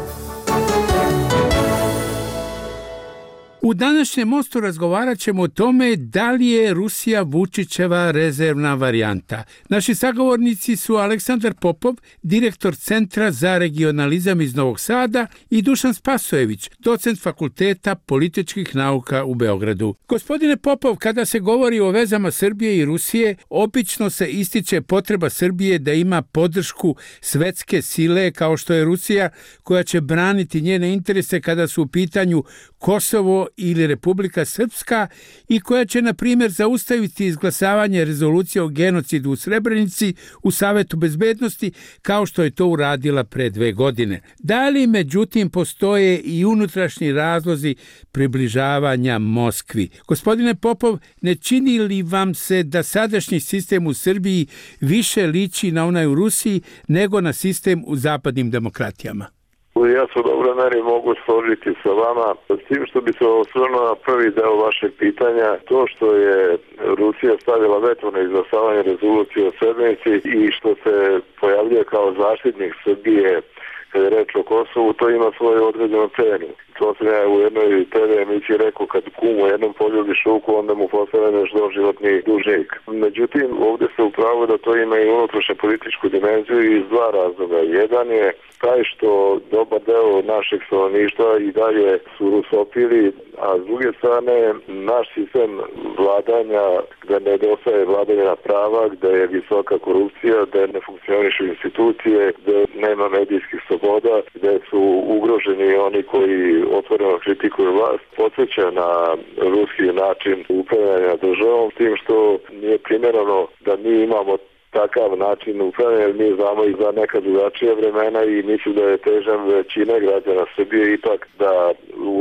U današnjem mostu razgovarat ćemo o tome da li je Rusija Vučićeva rezervna varijanta. Naši sagovornici su Aleksandar Popov, direktor Centra za regionalizam iz Novog Sada, i Dušan Spasojević, docent Fakulteta političkih nauka u Beogradu. Gospodine Popov, kada se govori o vezama Srbije i Rusije, obično se ističe potreba Srbije da ima podršku svetske sile kao što je Rusija, koja će braniti njene interese kada su u pitanju Kosovo ili Republika Srpska i koja će, na primjer, zaustaviti izglasavanje rezolucije o genocidu u Srebrenici u Savetu bezbednosti, kao što je to uradila pre dve godine. Da li, međutim, postoje i unutrašnji razlozi približavanja Moskvi? Gospodine Popov, ne čini li vam se da sadašnji sistem u Srbiji više liči na onaj u Rusiji nego na sistem u zapadnim demokratijama? Ja se u dobroj meri mogu složiti sa vama, s tim što bi se osvrnuo na prvi deo vašeg pitanja, to što je Rusija stavila veto na izglasavanje rezolucije o Srebrenici i što se pojavljuje kao zaštitnik Srbije kada je reč o Kosovu, to ima svoju određenu cenu. To sam ja u jednoj te ve emisiji rekao, kad kum u jednom poljubi šuku, onda mu postavljaš doživotni dužnik. Međutim, ovdje se upravo da to ima i unutrašnju političku dimenziju iz dva razloga. Jedan je taj što dobar deo našeg stanovništva i dalje su rusofili, a s druge strane naš sistem vladanja, gde nedostaje vladavina prava, gde je visoka korupcija, gde ne funkcionišu institucije, gde nema medijskih sloboda, gde su ugroženi oni koji otvoreno kritikuju vlast, podsjeća na ruski način upravljanja državom, s tim što nije primjereno da mi imamo takav način upravljanja, jer mi znamo i za neka drugačija vremena i mislim da je težan većine građana Srbije ipak da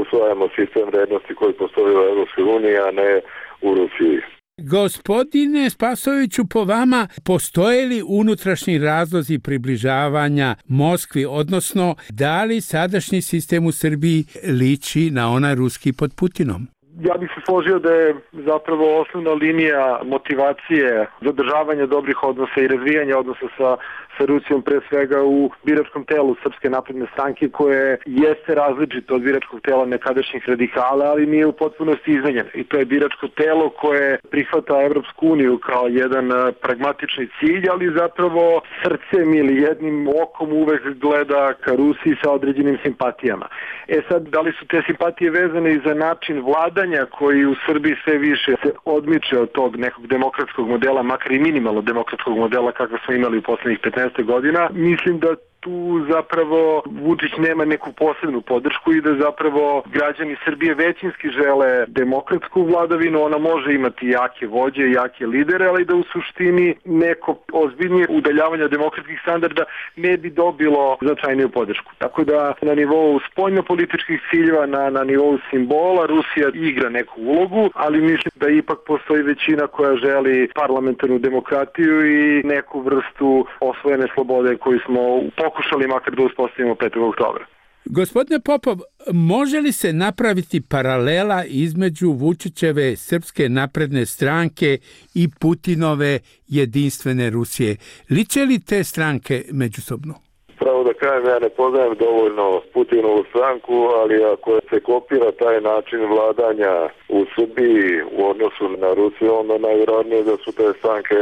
usvajamo sistem vrednosti koji postoji u Evropskoj uniji, a ne u Rusiji. Gospodine Spasojeviću, po vama postoje li unutrašnji razlozi približavanja Moskvi, odnosno da li sadašnji sistem u Srbiji liči na onaj ruski pod Putinom? Ja bih se složio da je zapravo osnovna linija motivacije zadržavanja dobrih odnosa i razvijanja odnosa sa, sa Rusijom pre svega u biračkom telu Srpske napredne stranke, koje jeste različito od biračkog tela nekadašnjih radikala, ali nije u potpunosti izmenjeno. I to je biračko telo koje prihvata Evropsku uniju kao jedan pragmatični cilj, ali zapravo srcem ili jednim okom uvek gleda ka Rusiji sa određenim simpatijama. E sad, da li su te simpatije vezane i za način vladanja koji u Srbiji sve više se odmiče od tog nekog demokratskog modela, makar i minimalno demokratskog modela kakva smo imali u poslednjih petnaest godina, mislim da tu zapravo Vučić nema neku posebnu podršku i da zapravo građani Srbije većinski žele demokratsku vladavinu. Ona može imati jake vođe, jake lidere, ali da u suštini neko ozbiljnije udaljavanje demokratskih standarda ne bi dobilo značajniju podršku. Tako da na nivou spoljnopolitičkih ciljeva, na, na nivou simbola, Rusija igra neku ulogu, ali mislim da ipak postoji većina koja želi parlamentarnu demokratiju i neku vrstu osvojene slobode koju smo pokušali makar da uspostavimo petog oktobra. Gospodine Popov, može li se napraviti paralela između Vučićeve Srpske napredne stranke i Putinove jedinstvene Rusije? Liče li te stranke međusobno? Pravo da kažem, ja ne poznajem dovoljno Putinovu stranku, ali ako se kopira taj način vladanja u Srbiji u odnosu na Rusiju, onda najvjerojatnije da su te stranke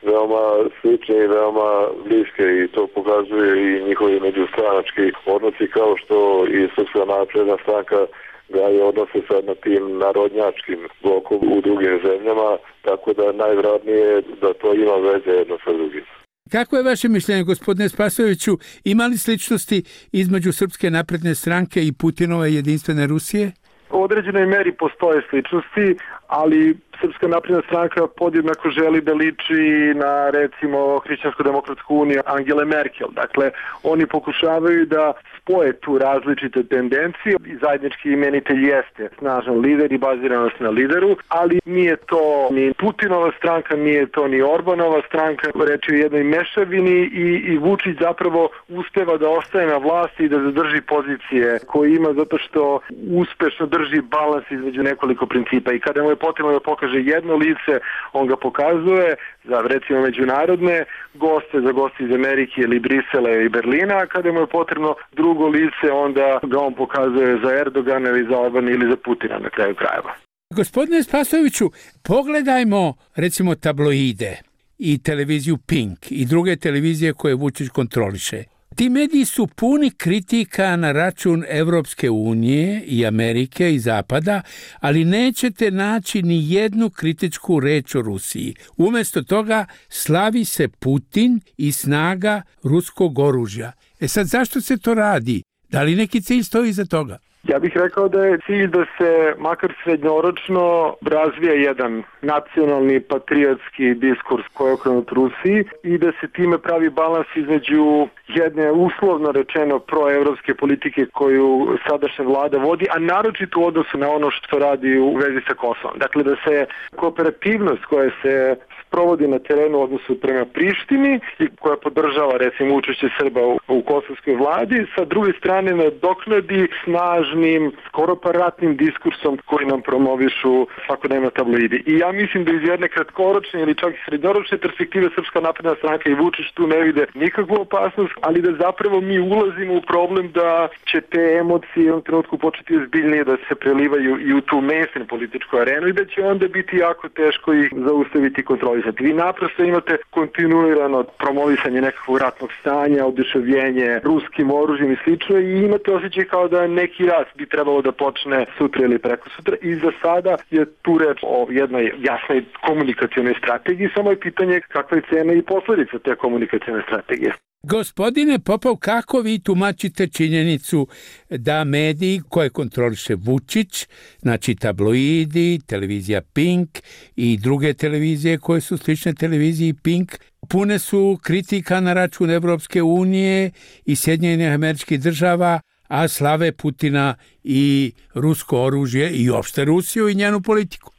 veoma slične i veoma bliske i to pokazuje i njihovi međustranački odnosi, kao što i Srpska napredna stranka gaje odnose sad na tim narodnjačkim blokom u drugim zemljama, tako da najvjerojatnije da to ima veze jedno sa drugim. Kako je vaše mišljenje, gospodine Spasojeviću, ima li sličnosti između Srpske napredne stranke i Putinove jedinstvene Rusije? U određenoj meri postoje sličnosti, ali Srpska napredna stranka podjednako želi da liči na, recimo, Hrišćansko-demokratsku uniju Angele Merkel. Dakle, oni pokušavaju da spoje tu različite tendencije i zajednički imenitelj jeste snažan lider i baziranost na lideru, ali nije to ni Putinova stranka, nije to ni Orbanova stranka, reč je o jednoj mešavini i, i Vučić zapravo uspeva da ostaje na vlasti i da zadrži pozicije koje ima zato što uspešno drži balans između nekoliko principa i kada mu je potrebno da pokaže jedno lice, on ga pokazuje za, recimo, međunarodne goste, za goste iz Amerike ili Brisela i Berlina, a kada mu je potrebno drugo lice, onda ga on pokazuje za Erdogana ili za Orbana ili za Putina na kraju krajeva. Gospodine Spasojeviću, pogledajmo, recimo, tabloide i televiziju Pink i druge televizije koje Vučić kontroliše. Ti mediji su puni kritika na račun Evropske unije i Amerike i Zapada, ali nećete naći ni jednu kritičku reč o Rusiji. Umesto toga slavi se Putin i snaga ruskog oružja. E sad, zašto se to radi? Da li neki cilj stoji iza toga? Ja bih rekao da je cilj da se makar srednjoročno razvija jedan nacionalni patriotski diskurs koji je okrenut Rusiji i da se time pravi balans između jedne uslovno rečeno proevropske politike koju sadašnja vlada vodi, a naročito u odnosu na ono što radi u vezi sa Kosovom. Dakle, da se kooperativnost koja se provodi na terenu u odnosu prema Prištini i koja podržava, recimo, učešće Srba u, u kosovskoj vladi, sa druge strane nadoknadi snažnim, skoro pa ratnim diskursom koji nam promovišu svakodnevno tabloidi. I ja mislim da iz jedne kratkoročne ili čak i srednjoročne perspektive Srpska napredna stranka i Vučić tu ne vide nikakvu opasnost, ali da zapravo mi ulazimo u problem da će te emocije u jednom trenutku početi ozbiljnije da se prelivaju i u tu mainstream političku arenu i da će onda biti jako teško ih zaustaviti kontroli. Vi naprosto imate kontinuirano promovisanje nekakvog ratnog stanja, oduševljenje ruskim oružjem i slično i imate osjećaj kao da neki rat bi trebalo da počne sutra ili preko sutra i za sada je tu reč o jednoj jasnoj komunikacionoj strategiji, samo je pitanje kakva je cena i posledica te komunikacione strategije. Gospodine Popov, kako vi tumačite činjenicu da mediji koje kontroliše Vučić, znači tabloidi, televizija Pink i druge televizije koje su slične televiziji Pink, pune su kritika na račun Evropske unije i Sjedinjenih Američkih Država, a slave Putina i rusko oružje i opšte Rusiju i njenu politiku?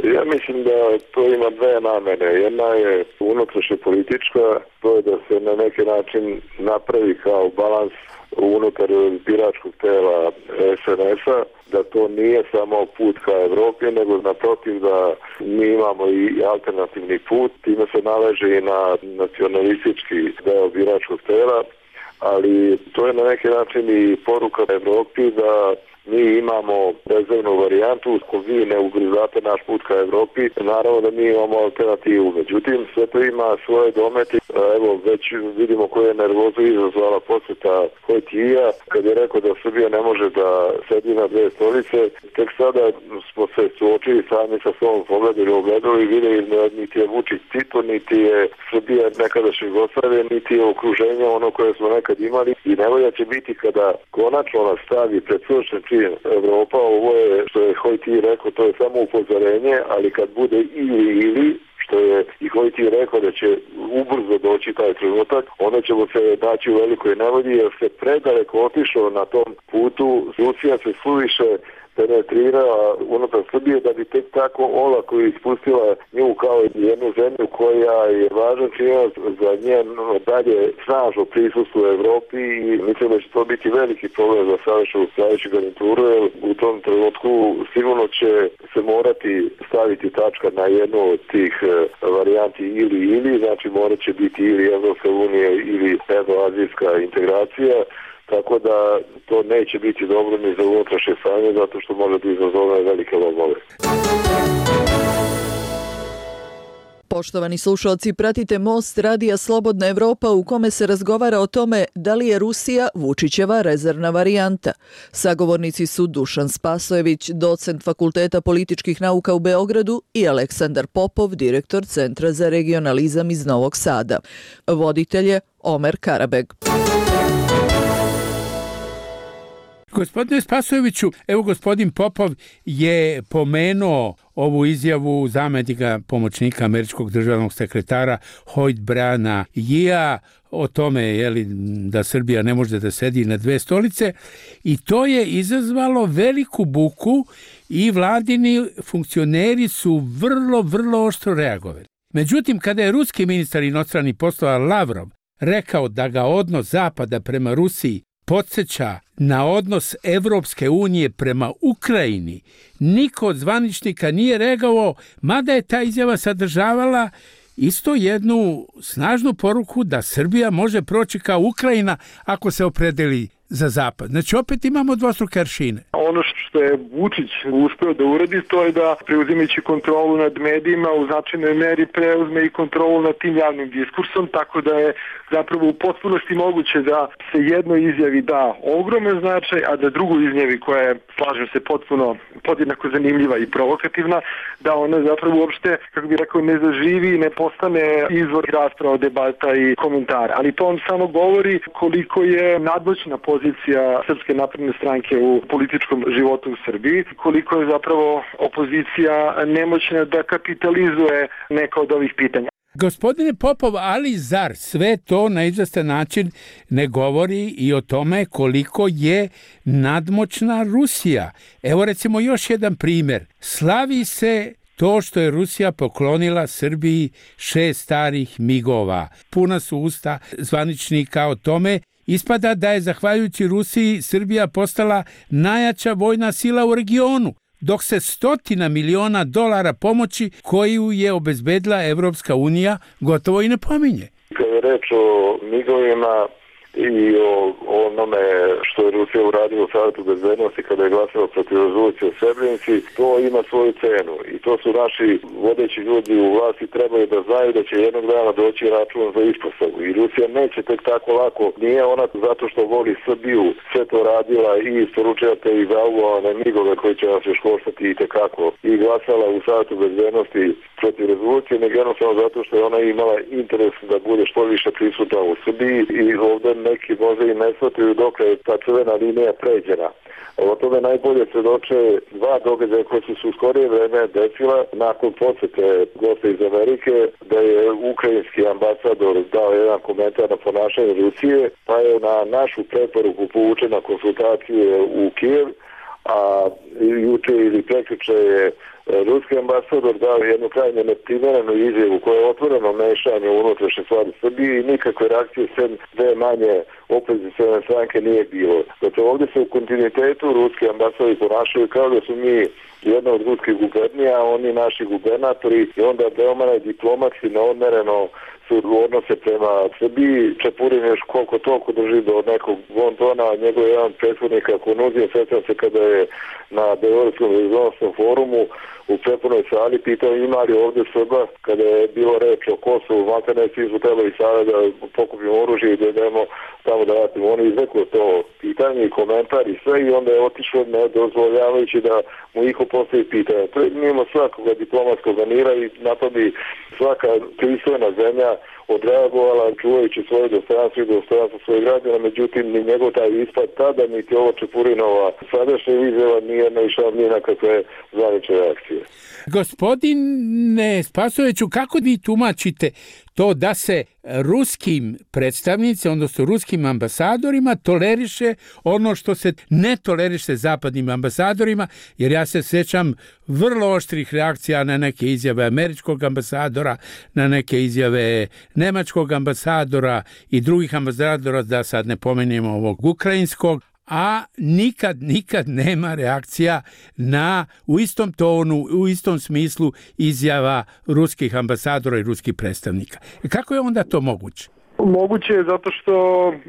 Ja mislim da to ima dve namene. Jedna je unutrašnja politička, to je da se na neki način napravi kao balans unutar biračkog tela es en es-a, da to nije samo put ka Evropi, nego naprotiv da mi imamo i alternativni put, time se naleže i na nacionalistički deo biračkog tela, ali to je na neki način i poruka Evropi da mi imamo rezervnu varijantu, ako vi ne ugrizate naš put ka Evropi, naravno da mi imamo alternativu. Međutim, sve to ima svoje dometi. Evo, već vidimo koje je nervozu izazvala posjeta Hojtija, kad je rekao da Srbija ne može da sedi na dve stolice. Tek sada smo se suočili sami sa svom pogledali u ogledalu i vidjeli niti je Vučić Tito, niti je Srbija nekadašnje Jugoslavije, niti je okruženje ono koje smo nekad imali. I nevolja će biti kada konačno nas stavi pred suočen Evropa, ovo je, što je Hojti rekao, to je samo upozorenje, ali kad bude ili ili, što je i Hojti rekao da će ubrzo doći taj trenutak, onda ćemo se naći u velikoj nevolji, jer se predaleko otišao na tom putu, Rusija se suviše penetrirala unutar Srbije da bi tek tako olako ispustila nju kao jednu zemlju koja je važan činac za njen dalje snažno prisustvo u Evropi i mislim da će to biti veliki problem za sadašnju sljedeću garnituru, jer u tom trenutku sigurno će se morati staviti tačka na jednu od tih varijanti ili ili, znači morat će biti ili Evropska unija ili evroazijska integracija. Tako da to neće biti dobro ni za unutrašnje stanje, zato što može da izazove velike lomove. Poštovani slušalci, pratite Most radija Slobodna Evropa u kome se razgovara o tome da li je Rusija Vučićeva rezervna varijanta. Sagovornici su Dušan Spasojević, docent Fakulteta političkih nauka u Beogradu i Aleksandar Popov, direktor Centra za regionalizam iz Novog Sada. Voditelj je Omer Karabeg. Gospodine Spasojeviću, evo gospodin Popov je pomenuo ovu izjavu zamjenika pomoćnika američkog državnog sekretara Hoyt Briana Yea o tome je li, da Srbija ne može da sedi na dve stolice i to je izazvalo veliku buku i vladini funkcioneri su vrlo, vrlo oštro reagovali. Međutim, kada je ruski ministar inostranih poslova Lavrov rekao da ga odnos Zapada prema Rusiji podsjeća na odnos Evropske unije prema Ukrajini, niko od zvaničnika nije reagovao, mada je ta izjava sadržavala isto jednu snažnu poruku da Srbija može proći kao Ukrajina ako se opredeli za Zapad. Znači, opet imamo dvostruke aršine. Ono što je Vučić uspeo da uradi, to je da preuzimajući kontrolu nad medijima u značajnoj meri preuzme i kontrolu nad tim javnim diskursom, tako da je zapravo u potpunosti moguće da se jednoj izjavi da ogroman značaj, a da drugu izjavi koja je, slažem se, potpuno podjednako zanimljiva i provokativna, da ona zapravo uopšte, kako bih rekao, ne zaživi i ne postane izvor rasprava, debata i komentara. Ali to on samo govori koliko je nadmoćna pozicija Srpske napredne stranke u političkom životu u Srbiji, koliko je zapravo opozicija nemoćna da kapitalizuje neka od ovih pitanja. Gospodine Popov, ali zar sve to na izvestan način ne govori i o tome koliko je nadmoćna Rusija? Evo recimo još jedan primjer. Slavi se to što je Rusija poklonila Srbiji šest starih migova. Puna su usta zvaničnika o tome. Ispada da je zahvaljujući Rusiji Srbija postala najjača vojna sila u regionu, dok se stotina miliona dolara pomoći koju je obezbedila Evropska unija gotovo i ne pominje. Kad je reč o migovima i o onome što je Rusija uradila u Savetu bezbednosti kada je glasila protiv rezolucije o Srebrenici, to ima svoju cenu i to su naši vodeći ljudi u vlasti trebaju da znaju da će jednog dana doći račun za ispostavu i Rusija neće tek tako lako, nije ona zato što voli Srbiju sve to radila i isporučujete i zauvovane migove koji će nas još koštati i tekako i glasala u Savetu bezbednosti protiv rezolucije, nego jednostavno zato što je ona imala interes da bude što više prisutna u Srbiji i ovdje neki možda i ne shvataju dok je ta crvena linija pređena. O tome najbolje svedoče dva događaja koji su se u skorije vreme desila nakon posete gosta iz Amerike, da je ukrajinski ambasador dao jedan komentar na ponašanje Rusije, pa je na našu preporuku povučena konsultacije u Kijev, a juče ili prekjuče je ruski ambasador dao jednu krajnje neprimjerenu izjavu koja je otvoreno mešanje u unutrašnje stvari Srbije i nikakve reakcije sem dve manje opozicione stranke nije bilo. Dakle, ovdje se u kontinuitetu ruski ambasadi ponašaju kao da su mi jedna od ruskih gubernija, oni naši gubernatori i onda veoma diplomatski neodmereno su odnose prema Srbiji. Čepurin još koliko toliko drži do nekog bontona, njegov jedan prethodnik ako nuzio, sjećam se kada je na Beogradskom regionalnom forumu u prepunoj sali pitao ima li ovdje Srba kada je bilo reč o Kosovu, makar ne svi su trebali sada da pokupimo oružje i da idemo tamo da ratimo. Oni izrekli to pitanje i komentar i sve i onda je otišao ne dozvoljavajući da mu iko postavi pitanje. To je mimo svakoga diplomatskog manira i na to bi svaka pristojna zemlja odreagovala čuvajući svoje dostojanstvo i dostojanstvo svojih građana, međutim ni njegov taj ispad tada, niti ovo Čepurinova sadašnja izjava nije naišao ni na kakve zvanične reakcije. Gospodine Spasojeviću, kako vi tumačite to da se ruskim predstavnicima, odnosno ruskim ambasadorima toleriše ono što se ne toleriše zapadnim ambasadorima, jer ja se sjećam vrlo oštrih reakcija na neke izjave američkog ambasadora, na neke izjave nemačkog ambasadora i drugih ambasadora, da sad ne pomenemo ovog ukrajinskog, a nikad, nikad nema reakcija na u istom tonu, u istom smislu izjava ruskih ambasadora i ruskih predstavnika. Kako je onda to moguće? Moguće je zato što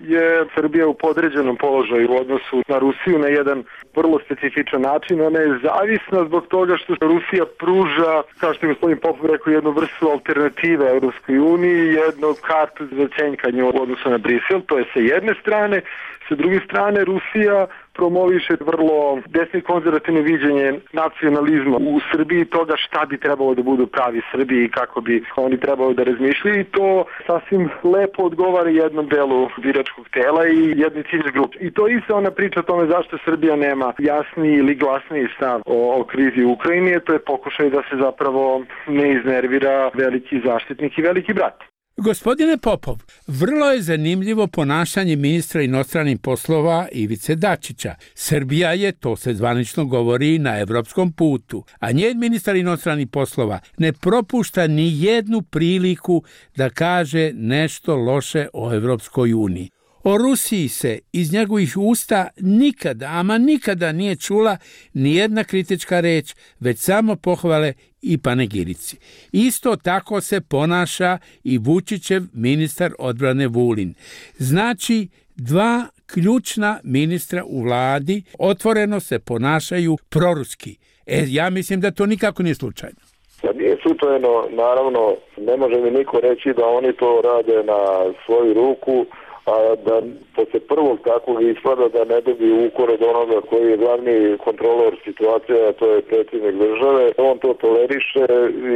je Srbija u podređenom položaju u odnosu na Rusiju na jedan vrlo specifičan način. Ona je zavisna zbog toga što Rusija pruža, kao što je gospodin Popov rekao, jednu vrstu alternative Europskoj uniji, jednu kartu za cenjkanje u odnosu na Brisel. To je sa jedne strane. Sa druge strane, Rusija promoviše vrlo desno i konzervativno viđenje nacionalizma u Srbiji, toga šta bi trebalo da budu pravi Srbiji i kako bi oni trebalo da razmišljaju, i to sasvim lepo odgovara jednom delu biračkog tela i jednoj ciljnoj grupi. I to isto ona priča o tome zašto Srbija nema jasni ili glasniji stav o, o krizi u Ukrajini, to je pokušaj da se zapravo ne iznervira veliki zaštitnik i veliki brat. Gospodine Popov, vrlo je zanimljivo ponašanje ministra inostranih poslova Ivice Dačića. Srbija je, to se zvanično govori, na evropskom putu, a njen ministar inostranih poslova ne propušta ni jednu priliku da kaže nešto loše o Evropskoj uniji. O Rusiji se iz njegovih usta nikada, ama nikada nije čula ni jedna kritička reč, već samo pohvale i panegirici. Isto tako se ponaša i Vučićev ministar odbrane Vulin. Znači, dva ključna ministra u vladi otvoreno se ponašaju proruski. E, ja mislim da to nikako nije slučajno. Da nije slučajno, naravno, ne može mi niko reći da oni to rade na svoju ruku, a da posle prvog takvog ispada da ne dobiju ukor od onoga koji je glavni kontrolor situacije, a to je predsjednik države. On to toleriše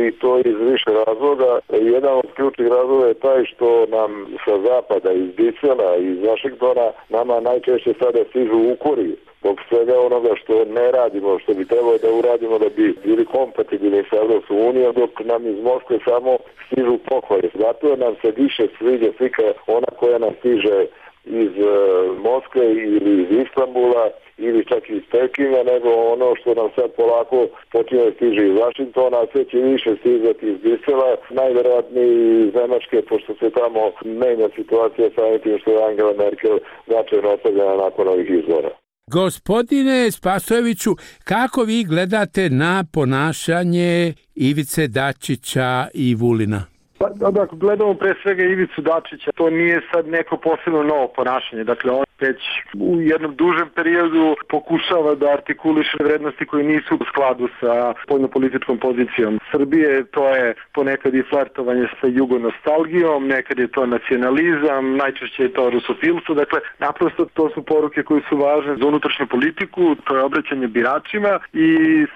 i to iz više razloga. Jedan od ključnih razloga je taj što nam sa zapada, iz Brisela, iz Vašingtona, nama najčešće sada stižu ukori zbog svega onoga što ne radimo, što bi trebalo da uradimo da bi bili kompatibilni sa Evropskom unijom, dok nam iz Moskve samo stižu pohvale. Zato nam se više sviđa slika ona koja nam stiže iz uh, Moskve ili iz Istanbula ili čak iz Pekinga, nego ono što nam sad polako počinje da stiže iz Vašingtona, a sve će više stizati iz Brisela, najverovatnije iz Nemačke, pošto se tamo menja situacija sa tim što je Angela Merkel značajno ostavljena nakon ovih izbora. Gospodine Spasojeviću, kako vi gledate na ponašanje Ivice Dačića i Vulina? Pa, dakle, gledamo pre svega Ivicu Dačića, to nije sad neko posebno novo ponašanje. Dakle, on već u jednom dužem periodu pokušava da artikuliše vrednosti koje nisu u skladu sa spoljnopolitičkom pozicijom Srbije. To je ponekad i flertovanje sa jugonostalgijom, nekad je to nacionalizam, najčešće je to rusofilstvo. Dakle, naprosto to su poruke koje su važne za unutrašnju politiku, to je obraćanje biračima i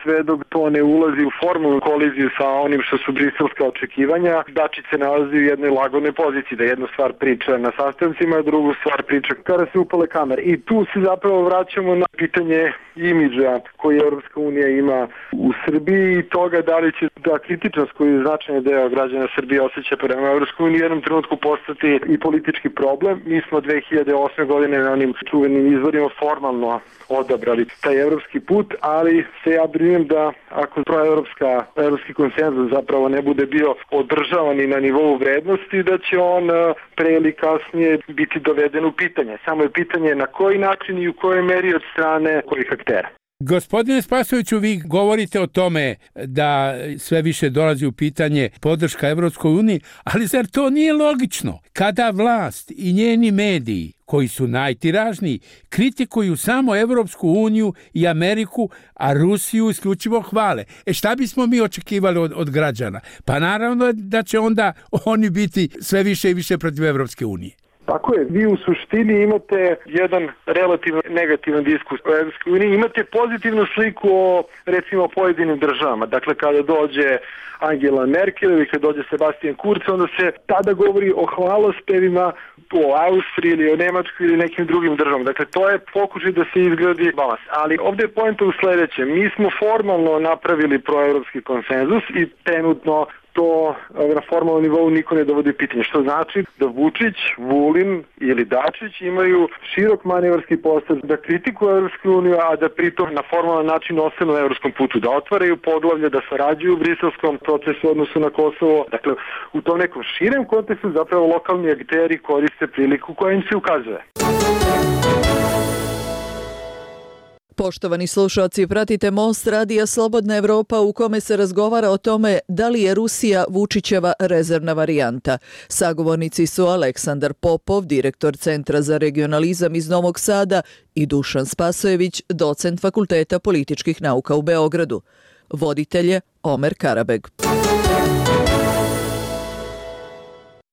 sve dok to ne ulazi u formalnu koliziju sa onim što su briselska očekivanja, Dačić se nalazi u jednoj lagodnoj poziciji, da jednu stvar priča na sastancima, a drugu stvar priča kada se ostale kamere. I tu se zapravo vraćamo na pitanje imidža koji Europska unija ima u Srbiji i toga da li će ta kritičnost koju značajni deo građana Srbije osjeća prema Europskoj uniji u jednom trenutku postati i politički problem. Mi smo dve hiljade osme godine na onim čuvenim izborima formalno odabrali taj evropski put, ali se ja brinem da ako proevropska evropski konsenzus zapravo ne bude bio održavan i na nivou vrednosti, da će on pre ili kasnije biti doveden u pitanje. Samo je pitanje na koji način i u kojoj meri od strane kojih aktera. Gospodine Spasojeviću, vi govorite o tome da sve više dolazi u pitanje podrška Evropskoj uniji, ali zar to nije logično? Kada vlast i njeni mediji, koji su najtiražniji, kritikuju samo Evropsku uniju i Ameriku, a Rusiju isključivo hvale. E šta bismo mi očekivali od, od građana? Pa naravno da će onda oni biti sve više i više protiv Evropske unije. Tako je, vi u suštini imate jedan relativno negativan diskus o Evropskoj uniji, imate pozitivnu sliku o recimo pojedinim državama. Dakle, kada dođe Angela Merkel ili kada dođe Sebastian Kurz, onda se tada govori o hvalospevima o Austriji ili o Nemačkoj ili nekim drugim državama. Dakle, to je pokušaj da se izgradi balans. Ali ovdje je poenta u sledećem. Mi smo formalno napravili proevropski konsenzus i trenutno to na formalnom nivou niko ne dovodi pitanje. Što znači da Vučić, Vulin ili Dačić imaju širok manevarski prostor da kritikuju Evropsku uniju, a da pritom na formalan način ostanu na evropskom putu, da otvaraju poglavlje, da sarađuju u briselskom procesu u odnosu na Kosovo. Dakle, u tom nekom širem kontekstu zapravo lokalni akteri koriste priliku koja im se ukazuje. Poštovani slušalci, pratite Most radija Slobodna Evropa u kome se razgovara o tome da li je Rusija Vučićeva rezervna varijanta. Sagovornici su Aleksandar Popov, direktor Centra za regionalizam iz Novog Sada, i Dušan Spasojević, docent Fakulteta političkih nauka u Beogradu. Voditelj je Omer Karabeg.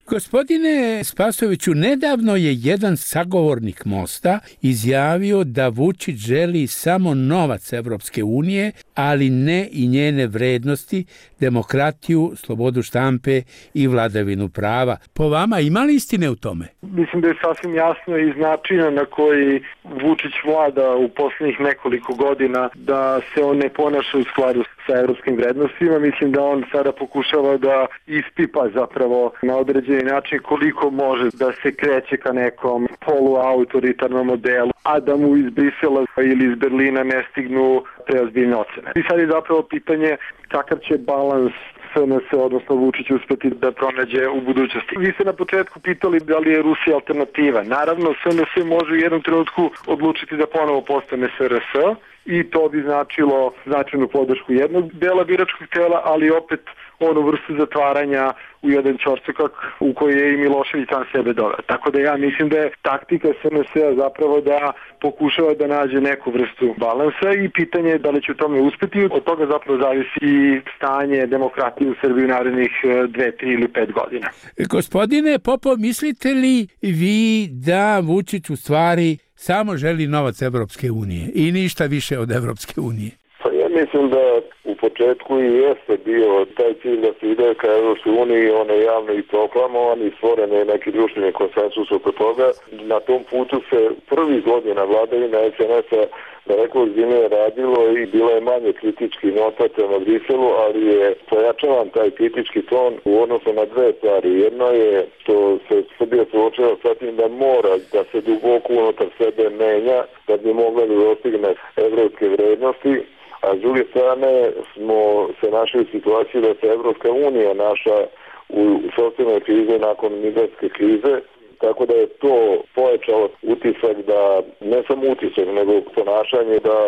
Gospodine Spasojeviću, nedavno je jedan sagovornik Mosta izjavio da Vučić želi samo novac Evropske unije, ali ne i njene vrednosti, demokratiju, slobodu štampe i vladavinu prava. Po vama ima li istine u tome? Mislim da je sasvim jasno iz načina na koji Vučić vlada u posljednjih nekoliko godina da se on ne ponaša u skladu sa evropskim vrednostima. Mislim da on sada pokušava da ispipa zapravo na određeni način koliko može da se kreće ka nekom poluautoritarnom modelu, a da mu iz Brisela ili iz Berlina ne stignu preozbiljne ocene. I sad je zapravo pitanje kakav će balans S N S, odnosno Vučić, uspeti da pronađe u budućnosti. Vi ste na početku pitali da li je Rusija alternativa. Naravno, S N S može u jednom trenutku odlučiti da ponovo postane S R S i to bi značilo značajnu podršku jednog dela biračkog tela, ali opet onu vrstu zatvaranja u jedan ćorsokak u koji je i Milošević sam sebe doveo. Tako da ja mislim da je taktika S N S-a zapravo da pokušava da nađe neku vrstu balansa i pitanje je da li će u tome uspeti. Od toga zapravo zavisi i stanje demokratije u Srbiji u narednih dve, tri ili pet godina. Gospodine Popov, mislite li vi da Vučić u stvari samo želi novac Evropske unije i ništa više od Evropske unije? Pa ja mislim da u početku i jeste bio taj cilj da se ide ka Evropskoj uniji, on je javno i proklamovan i stvoren je neki društveni konsensus oko toga. Na tom putu se prvi godina vladavina S N S-a daleko ozbiljnije radilo i bilo je manje kritički nota prema Briselu, ali je pojačavan taj kritički ton u odnosu na dve stvari. Jedno je što se Srbija suočava sa tim da mora da se duboko unutar sebe menja da bi mogla da dostigne evropske vrednosti, a s druge strane smo se našli u situaciji da se Evropska unija naša u socijalnoj krizi nakon migrantske krize, tako da je to pojačalo utisak da, ne samo utisak, nego ponašanje da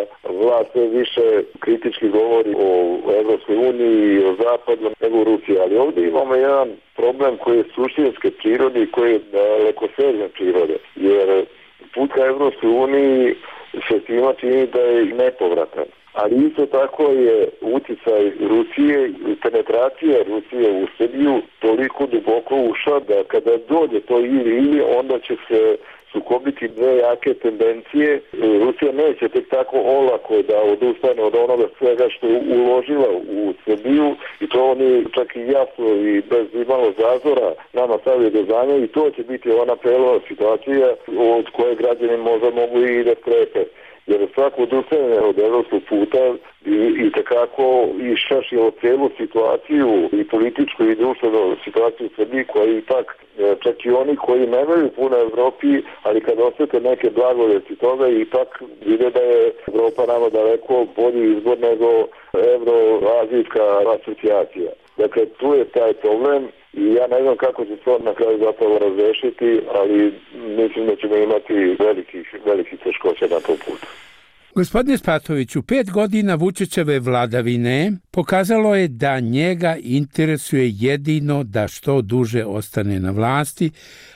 vlast sve više kritički govori o Evropskoj uniji i o zapadu nego o Rusiji. Ali ovdje imamo jedan problem koji je suštinske prirode i koji je dalekosežne prirode, jer put ka Evropskoj uniji se svima čini da je nepovratan. Ali isto tako je uticaj Rusije i penetracija Rusije u Srbiju toliko duboko ušla da kada dođe to ili ili onda će se sukobiti dve jake tendencije. Rusija neće tek tako olako da odustane od onoga svega što je uložila u Srbiju i to oni čak i jasno i bez imalo zazora nama stavio do znanja i to će biti ona preloma situacija od koje građani možda mogu i da skrepe. Jer svako odustajanje od evropskog puta i, i takako išašilo celu situaciju i političku i društvenu situaciju u Srbiji koja je ipak, čak i oni koji nemaju puno Evropi, ali kad osjete neke blagodeti toga, ipak vide da je Evropa nama daleko bolji izbor nego evroazijska asocijacija. Dakle, tu je taj problem i ja ne znam kako će se on na kraju zapravo razrešiti, ali mislim da ćemo imati velikih, velikih teškoća na tom putu. Gospodine Spatoviću, pet godina Vučićeve vladavine pokazalo je da njega interesuje jedino da što duže ostane na vlasti,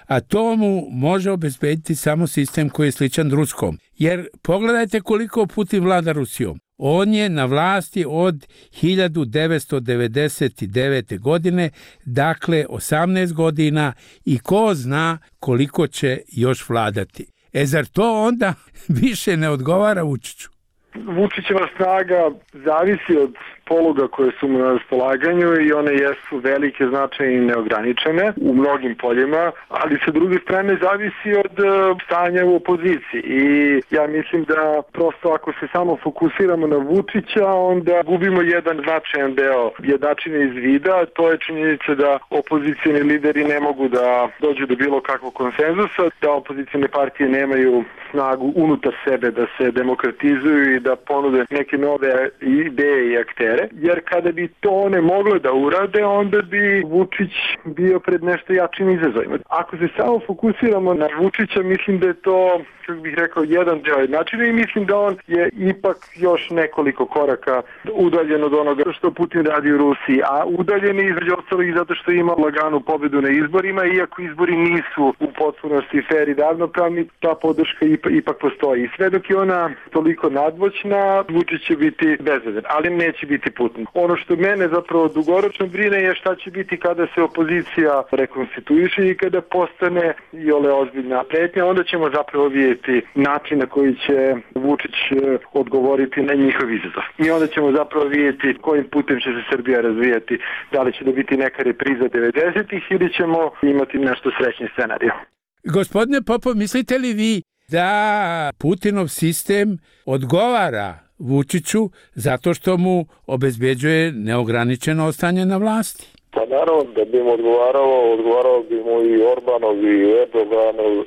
a to mu može obezbediti samo sistem koji je sličan ruskom. Jer pogledajte koliko Putin vlada Rusijom. On je na vlasti od hiljadu devetsto devedeset devete. godine, dakle osamnaest godina i ko zna koliko će još vladati. E zar to onda više ne odgovara Vučiću? Vučićeva snaga zavisi od poluga koje su mu na raspolaganju i one jesu velike, značajne i neograničene u mnogim poljima, ali sa druge strane zavisi od stanja u opoziciji i ja mislim da prosto ako se samo fokusiramo na Vučića, onda gubimo jedan značajan deo jednačine iz vida, to je činjenica da opozicijni lideri ne mogu da dođu do bilo kakvog konsenzusa, da opozicijne partije nemaju snagu unutar sebe da se demokratizuju i da ponude neke nove ideje i aktere. Jer kada bi to one mogle da urade, onda bi Vučić bio pred nešto jačim izazovima. Ako se samo fokusiramo na Vučića, mislim da je to, kako bih rekao, jedan deo jednačina i mislim da on je ipak još nekoliko koraka udaljen od onoga što Putin radi u Rusiji, a udaljen je između ostalog i zato što ima laganu pobedu na izborima, iako izbori nisu u potpunosti fer i ravnopravni, ta podrška ipak postoji. I sve dok je ona toliko nadmoćna, Vučić će biti bezvedan, ali neće biti Putin. Ono što mene zapravo dugoročno brine je šta će biti kada se opozicija rekonstituiše i kada postane i ole ozbiljna pretnja, onda ćemo zapravo vidjeti način na koji će Vučić odgovoriti na njihov izazov. I onda ćemo zapravo vidjeti kojim putem će se Srbija razvijati, da li će da biti neka repriza devedesetih ili ćemo imati nešto srećni scenarij. Gospodine Popov, mislite li vi da Putinov sistem odgovara Vučiću zato što mu obezbeđuje neograničeno ostanje na vlasti? Pa naravno da bi mu odgovaralo, odgovaralo bi mu i Orbanov i Erdoganov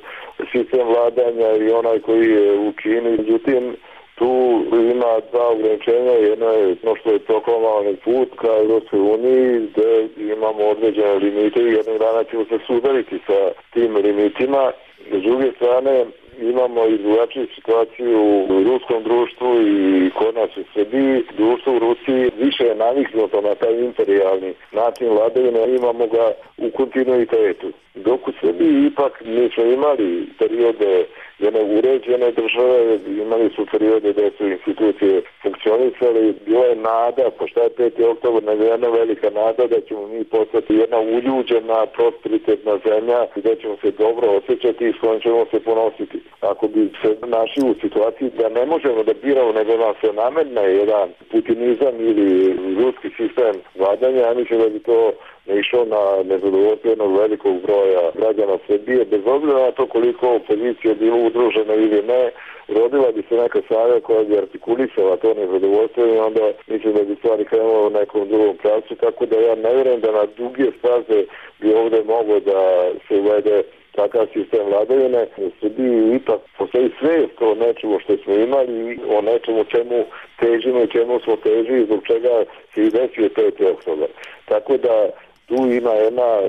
sistem vladanja i onaj koji je u Kini. Međutim, tu ima dva ograničenja. Jedno je no što je proklamovani put ka Evropskoj uniji gde imamo određene limite i jednog dana ćemo se sudariti sa tim limitima. S druge strane, imamo i drugačiju situaciju u ruskom društvu i kod nas u Srbiji. Društvo u Rusiji više je naviknuto na taj imperijalni način vladavine, imamo ga u kontinuitetu. Dok u Srbiji ipak nismo imali periode jedne uređene države, imali su periode gde su institucije funkcionisali, bila je nada, pošto je peti oktobar, nego jedna velika nada da ćemo mi postati jedna uljuđena, prosperitetna zemlja gde ćemo se dobro osjećati i s kojom ćemo se ponositi. Ako bi se našli u situaciji da ne možemo da biramo, nego nam se nametne jedan putinizam ili ruski sistem vladanja, ja mislim da bi to ne išao na nezadovoljstvo jednog velikog broja građana Srbije, bez obzira na to koliko opozicija bilo udružena ili ne, rodila bi se neka snaga koja bi artikulisala to nezadovoljstvo i onda mislim da bi stvari krenulo u nekom drugom pravcu, tako da ja ne vjerujem da na duge staze bi ovde moglo da se uvede takav sistem vladavine. U Srbiji ipak postoji svijest o nečemu što smo imali, o nečemu čemu težimo i čemu smo težili, zbog čega se i desio peti oktobar. Tako da tu ima jedna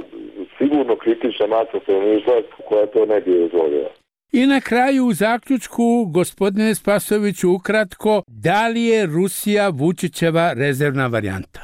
sigurno kritična masa stanovništva koja to ne bi dozvolila. I na kraju u zaključku, gospodine Spasoviću, ukratko, da li je Rusija Vučićeva rezervna varijanta?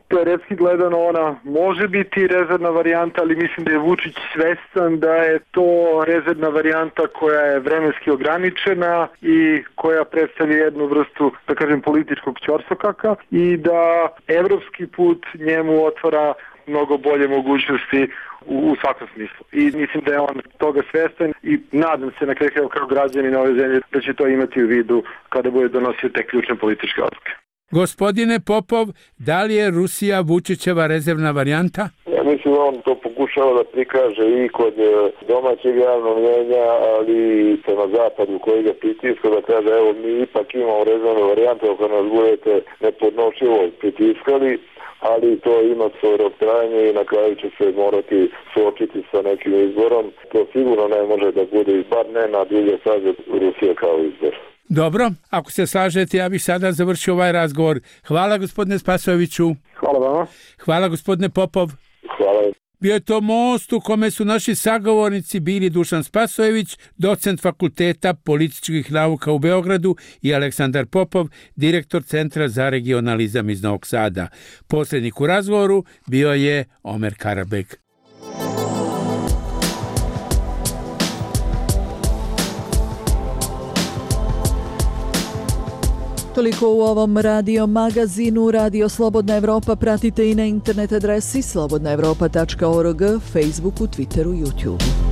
Teoretski gledano ona može biti rezervna varijanta, ali mislim da je Vučić svestan da je to rezervna varijanta koja je vremenski ograničena i koja predstavlja jednu vrstu, da kažem, političkog ćorsokaka i da evropski put njemu otvara mnogo bolje mogućnosti u, u svakom smislu. I mislim da je on toga svestan i nadam se na kraju kao građani na ovoj zemlji da će to imati u vidu kada bude donosio te ključne političke odluke. Gospodine Popov, da li je Rusija Vučićeva rezervna varijanta? Ja mislim da on to pokušava da prikaže i kod domaćeg javnog mnjenja, ali i prema zapadu koji ga pritiska, da kaže evo mi ipak imamo rezervnu varijantu ako nas budete nepodnošljivo pritiskali, ali to ima svoje rok trajanje i na kraju će se morati suočiti sa nekim izborom. To sigurno ne može da bude, bar ne na dulje staze Rusija kao izbor. Dobro, ako se slažete, ja bih sada završio ovaj razgovor. Hvala gospodine Spasojeviću. Hvala vama. Hvala gospodine Popov. Hvala. Bio je to most u kome su naši sagovornici bili Dušan Spasojević, docent Fakulteta političkih nauka u Beogradu, i Aleksandar Popov, direktor Centra za regionalizam iz Novog Sada. Posrednik u razgovoru bio je Omer Karabeg. Toliko u ovom radio magazinu. Radio Slobodna Evropa pratite i na internet adresi slobodna evropa tačka org, Facebooku, Twitteru, YouTubeu.